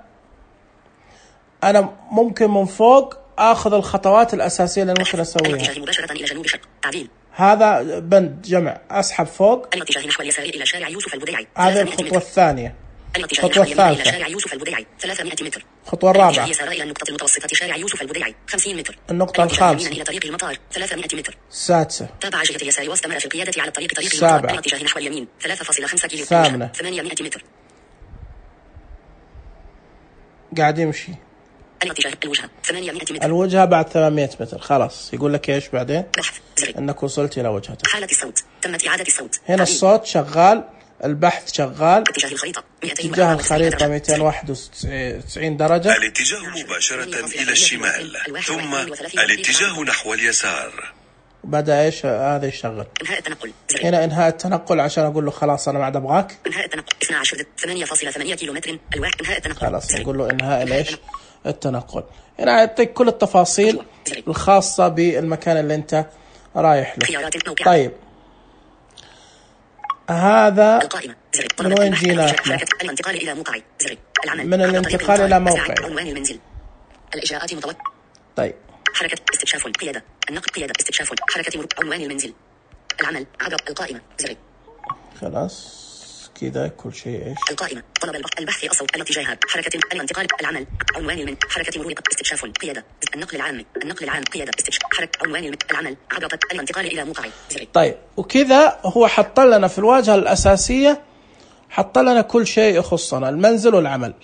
أنا ممكن من فوق أخذ الخطوات الأساسية اللي ممكن أسويها. الاتجاه مباشرة إلى جنوب شرق. تعديل. هذا بند جمع، أسحب فوق. الاتجاه نحو اليسار إلى شارع يوسف البديعي. هذه الخطوة الثانية. الخطوة الثالثة إلى شارع يوسف البديعي 300 متر. الخطوة الرابعة يسار إلى النقطة المتوسطة شارع يوسف البديعي 50 متر. النقطة الخامسة إلى طريق المطار 300 متر. السادسة تابع جهة اليسار واستمر في القيادة على طريق المطار. الاتجاه نحو اليمين 3.5 كيلو. الثامنة 800 متر. قاعد يمشي. الاتجاه الوجهة 800 متر. الوجهة بعد 800 متر. خلاص يقول لك ايش بعدين؟ بحث زر. انك وصلت الى وجهتك. حالة الصوت تمت إعادة الصوت. هنا الصوت شغال، البحث شغال. اتجاه الخريطة اتجاه الخريطة 291 درجة. الاتجاه مباشرة إلى الشمال، ثم الاتجاه نحو اليسار. بدأ ايش هذا يشغل. انهاء التنقل زر. هنا انهاء التنقل عشان اقول له خلاص انا ما عاد ابغاك. انهاء التنقل 12.8 كيلومتر الواحد. انهاء التنقل خلاص نقول له انهاء ليش التنقل. هنا يعطيك كل التفاصيل الخاصة بالمكان اللي انت رايح له. طيب هذا القائمة زر. من وين جينا احنا؟ الانتقال إلى موقعي زر. العمل من الانتقال إلى موقعي. عنوان المنزل. الإجراءات متوقع. طيب حركة استكشاف قيادة. النقل قيادة استكشاف. حركة مرور. عنوان المنزل. العمل عبر القائمة زر. خلاص كذا كل شيء ايش. القائمة طلب البحث الصوت. الاتجاهات. حركة الانتقال. العمل عنوان حركة مرور. استكشاف قيادة. النقل العام قيادة استكشاف. حركة عنوان العمل عبر الانتقال إلى موقعي زر. طيب وكذا هو حط لنا في الواجهة الأساسية، حط لنا كل شيء يخصنا المنزل والعمل،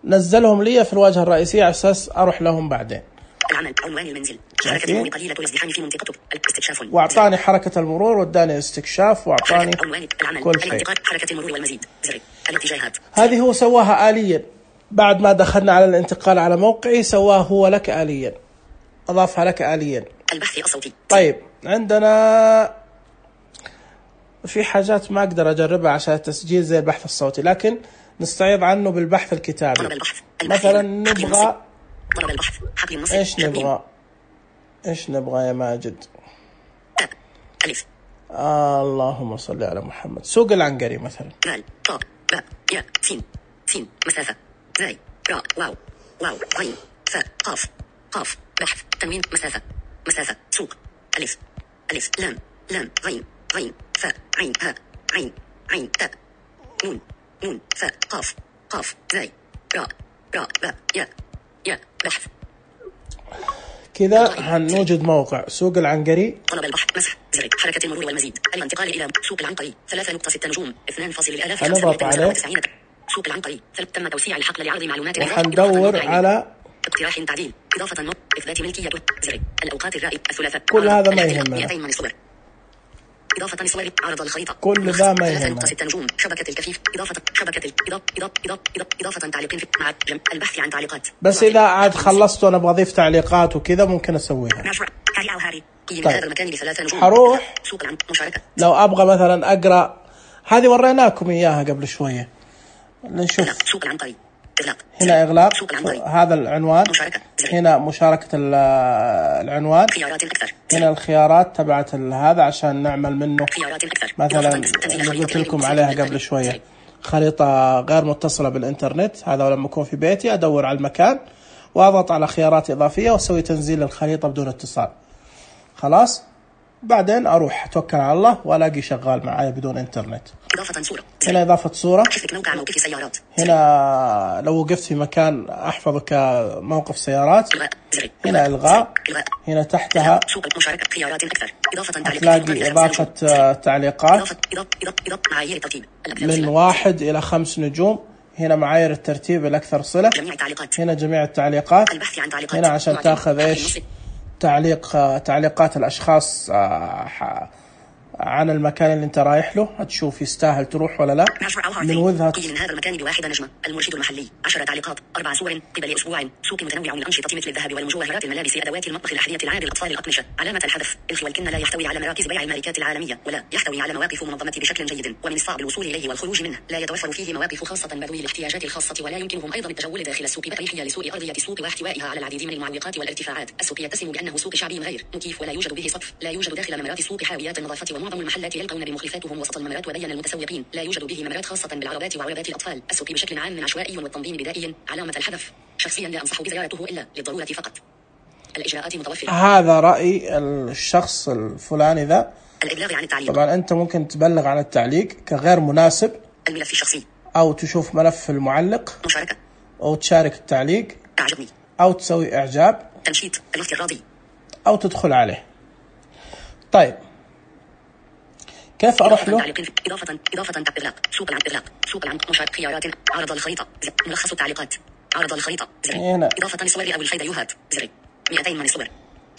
نزلهم لي في الواجهة الرئيسية على أساس أروح لهم بعدين. العمل عنوان المنزل. حركة المرور قليلة الازدحام في منطقته. الاستكشاف. وأعطاني حركة المرور واداني استكشاف وأعطاني كل شيء. حركة المرور والمزيد زر. الاتجاهات. هذه هو سواها آليا بعد ما دخلنا على الانتقال على موقعي، سواه هو لك آليا، أضافها لك آليا. البحث الصوتي. طيب عندنا في حاجات ما أقدر أجربها عشان التسجيل زي البحث الصوتي، لكن نستعيض عنه بالبحث الكتابي. طلب البحث. مثلا نبغى طلب البحث. حقل النص. ايش نبغى يا ماجد؟ ألف. اللهم صل على محمد. سوق العنقري مثلا. دال طاء باء ياء سين مسافة زاي راء واو غين فاء قاف بحث تنوين مسافة سوق ألف لام غين فاء عين هاء عين تاء نون فاء قاف زاي راء باء ياء بحث. كذا هنوجد موقع سوق العنقري. طلب البحث مسح زر. حركة المرور والمزيد. الانتقال إلى سوق العنقري 3.6 نجوم 2.000. هنضغط عليه. سوق العنقري تم توسيع الحقل لعرض معلومات. وحندور على اقتراح تعديل إضافة النص إثبات ملكية زر. الأوقات الرائد الثلاثاء. كل هذا ما يهمنا. 200 من الصور. إضافة الصور عرض الخريطة. كل ذا ما يهمنا. 3.6 نجوم. شبكة الكفيف. إضافة شبكة إضافة تعليق مع البحث عن تعليقات. بس إذا عاد خلصت وأنا أبغى أضيف تعليقات وكذا ممكن أسويها. طيب. هذا المكان ب3 نجوم. حروح سوق مشاركة. لو أبغى مثلا أقرأ هذه وريناكم إياها قبل شوية. نشوف. سوق العنقري. هنا إغلاق هذا العنوان. هنا مشاركة العنوان. خيارات أكثر. هنا الخيارات تبعت هذا عشان نعمل منه مثلا اللي قلت لكم عليها قبل شوية، خريطة غير متصلة بالإنترنت. هذا لما أكون في بيتي أدور على المكان وأضغط على خيارات إضافية وأسوي تنزيل الخريطة بدون اتصال. خلاص بعدين أروح أتوكل على الله وألاقي شغال معايا بدون إنترنت. إضافة صورة. هنا إضافة صورة. موقع موقف سيارات. هنا لو وقفت في مكان أحفظه كموقف سيارات. هنا إلغاء. هنا تحتها مشاركة خيارات أكثر. تلاقي إضافة تعليقات معايير الترتيب من 1 إلى 5 نجوم. هنا معايير الترتيب الأكثر صلة. هنا جميع التعليقات. هنا عشان تأخذ إيش تعليقات الأشخاص عن المكان اللي انت رايح له، هتشوف يستاهل تروح ولا لا. من وجهة قيل من هذا المكان ب1 نجمة. المرشد المحلي 10 تعليقات 4 صور قبل أسبوع. سوق متنوع من أنشطة مثل الذهب والمجوهرات الملابس أدوات المطبخ الأحذية العاب الأطفال الأقمشة. علامة الحذف الخ والكن لا يحتوي على مراكز بيع الماركات العالمية ولا يحتوي على مواقف منظمة بشكل جيد ومن الصعب الوصول إليه والخروج منه. لا يتوفر فيه مواقف خاصة بذوي الاحتياجات الخاصة ولا يمكنهم أيضا التجول داخل السوق بأريحية لسوء أرضية السوق واحتوائها على العديد من المعوقات والارتفاعات. السوق يتسم بأنه سوق شعبي غير مكيف ولا يوجد به سقف. لا يوجد داخل ممرات السوق حاويات النظافة ومعظم المحلات يلقون بمخلفاتهم وسط الممرات. وبين المتسوقين لا يوجد به ممرات خاصة بالعربات وعربات الأطفال. السوق بشكل عام عشوائي والتنظيم بدائي. علامة الحذف شخصيا لا أنصح بزيارته إلا للضرورة فقط. الإجراءات متوفرة. هذا رأي الشخص الفلاني ذا. الإبلاغ عن التعليق. طبعا أنت ممكن تبلغ عن التعليق كغير مناسب. الملف الشخصي. أو تشوف ملف المعلق. مشاركة. أو تشارك التعليق. أعجبني. أو تسوي إعجاب. تنشيط الوقت الراضي. أو تدخل عليه. طيب كيف أروح له؟ إضافة إغلاق سوق العنق مشارك خيارات عرض الخريطة ملخص التعليقات عرض الخريطة هنا. إضافة لصور أو الفيديوهات 200 من الصور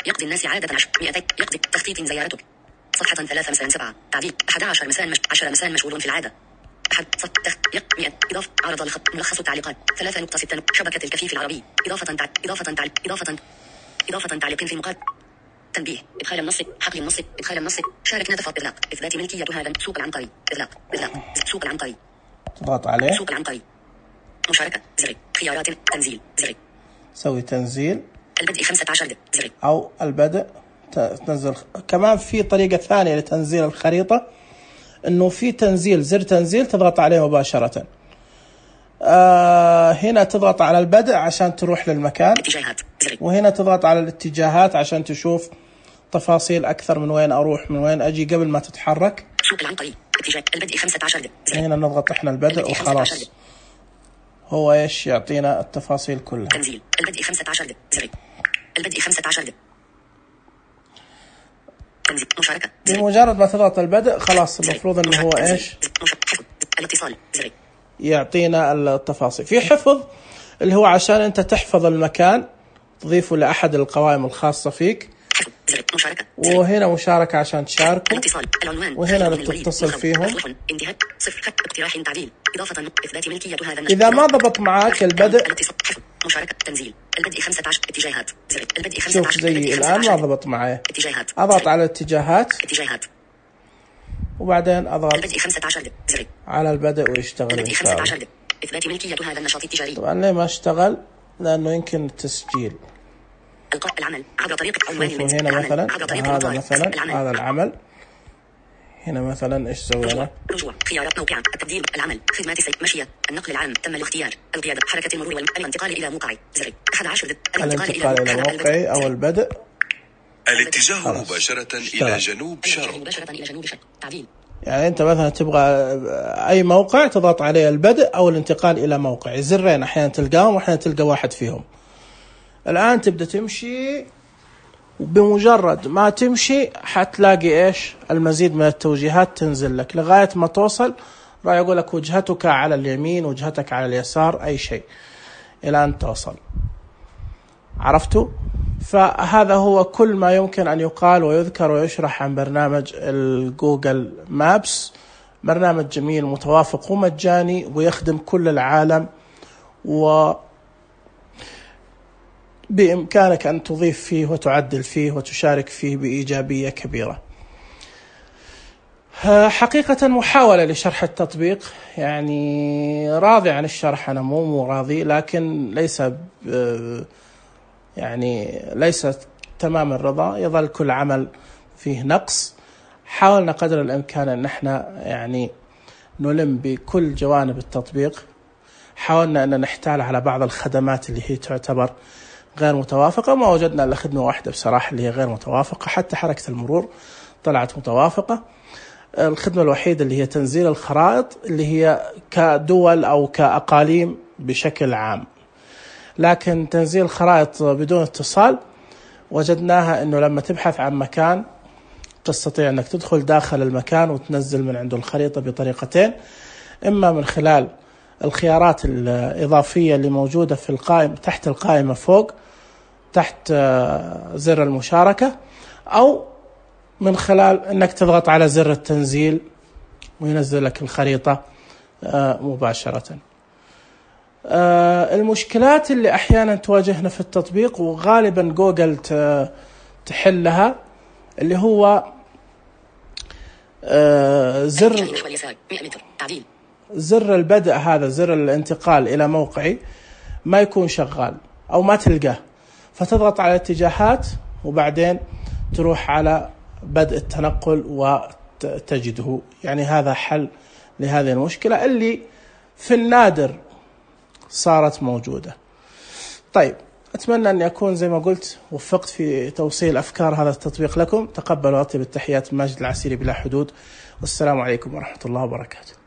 يقضي الناس عادة 200 يقضي تخطيط زيارتك صفحة 3 مساء 7 تعديل 11 مساء 10 مساء مشغول في العادة أحد إضافة عرض ملخص التعليقات 3.6 شبكة الكفيف العربي إضافة تعليق في المقال تنبيه إدخال النص حقل النص إدخال النص شارك نتفق إغلاق إثبات ملكية هذا سوق العنقري إغلاق سوق العنقري تضغط عليه سوق العنقري مشاركة خيارات تنزيل سوي تنزيل البدء 15 أو البدء تنزل. كمان في طريقة ثانية لتنزيل الخريطة إنه في تنزيل زر تنزيل تضغط عليه مباشرة. هنا تضغط على البدء عشان تروح للمكان وهنا تضغط على الاتجاهات عشان تشوف تفاصيل أكثر من وين أروح من وين أجي قبل ما تتحرك. سوق العنقري اتجاه البدء 15 هنا نضغط إحنا البدء وخلاص هو إيش يعطينا التفاصيل كلها. تنزيل البدء 15 البدء 15 تنزيل مشاركة بمجرد ما تضغط البدء خلاص المفروض إنه هو إيش الاتصال يعطينا التفاصيل. في حفظ اللي هو عشان أنت تحفظ المكان تضيفه لأحد القوائم الخاصة فيك. وهنا مشاركة عشان تشاركوا وهنا تتصل فيهم. إذا ما ضبط معاك البدء مشاركة تنزيل البدء 15 اتجاهات البدء 15 شوف زي الآن ما ضبط معي أضغط على الاتجاهات وبعدين أضغط البدء 15 على البدء ويشتغل إن شاء الله. إثبات ملكية هذا النشاط التجاري. طبعا ليه ما اشتغل لأنه يمكن التسجيل. القاء العمل عبر طريقة هنا مثلا هذا مثلا هذا العمل هنا مثلا ايش سوينا؟ رجوع خيارات موقع التبديل العمل خدمات السير مشية النقل العام تم الاختيار القيادة حركة المرور والانتقال إلى موقعي 11 الانتقال إلى موقعي أو البدء الاتجاه مباشرة إلى جنوب شرق تعديل. يعني أنت مثلا تبغى أي موقع تضغط عليه البدء أو الانتقال إلى موقع زرين أحيانا تلقاهم وأحيانا تلقى واحد فيهم. الآن تبدأ تمشي وبمجرد ما تمشي حتلاقي إيش المزيد من التوجيهات تنزل لك لغاية ما توصل راح يقول لك وجهتك على اليمين وجهتك على اليسار أي شيء إلى أن توصل. عرفتوا؟ فهذا هو كل ما يمكن أن يقال ويذكر ويشرح عن برنامج الجوجل مابس. برنامج جميل متوافق ومجاني ويخدم كل العالم بإمكانك أن تضيف فيه وتعدل فيه وتشارك فيه بإيجابية كبيرة. حقيقة محاولة لشرح التطبيق يعني راضي عن الشرح أنا مو راضي لكن ليس تمام الرضا يظل كل عمل فيه نقص. حاولنا قدر الإمكان أن احنا يعني نلم بكل جوانب التطبيق. حاولنا أن نحتال على بعض الخدمات اللي هي تعتبر غير متوافقة ما وجدنا إلا خدمة واحدة بصراحة اللي هي غير متوافقة. حتى حركة المرور طلعت متوافقة. الخدمة الوحيدة اللي هي تنزيل الخرائط اللي هي كدول أو كأقاليم بشكل عام. لكن تنزيل خرائط بدون اتصال وجدناها أنه لما تبحث عن مكان تستطيع أنك تدخل داخل المكان وتنزل من عنده الخريطة بطريقتين. إما من خلال الخيارات الإضافية اللي موجودة في القائمة تحت القائمة فوق تحت زر المشاركة أو من خلال أنك تضغط على زر التنزيل وينزل لك الخريطة مباشرة. المشكلات اللي أحيانا تواجهنا في التطبيق وغالبا جوجل تحلها اللي هو زر البدء هذا زر الانتقال إلى موقعي ما يكون شغال أو ما تلقاه فتضغط على الاتجاهات وبعدين تروح على بدء التنقل وتجده. يعني هذا حل لهذه المشكلة اللي في النادر صارت موجودة. طيب، أتمنى أن أكون زي ما قلت وفقت في توصيل أفكار هذا التطبيق لكم. تقبلوا أطيب التحيات، ماجد العسيري بلا حدود، والسلام عليكم ورحمة الله وبركاته.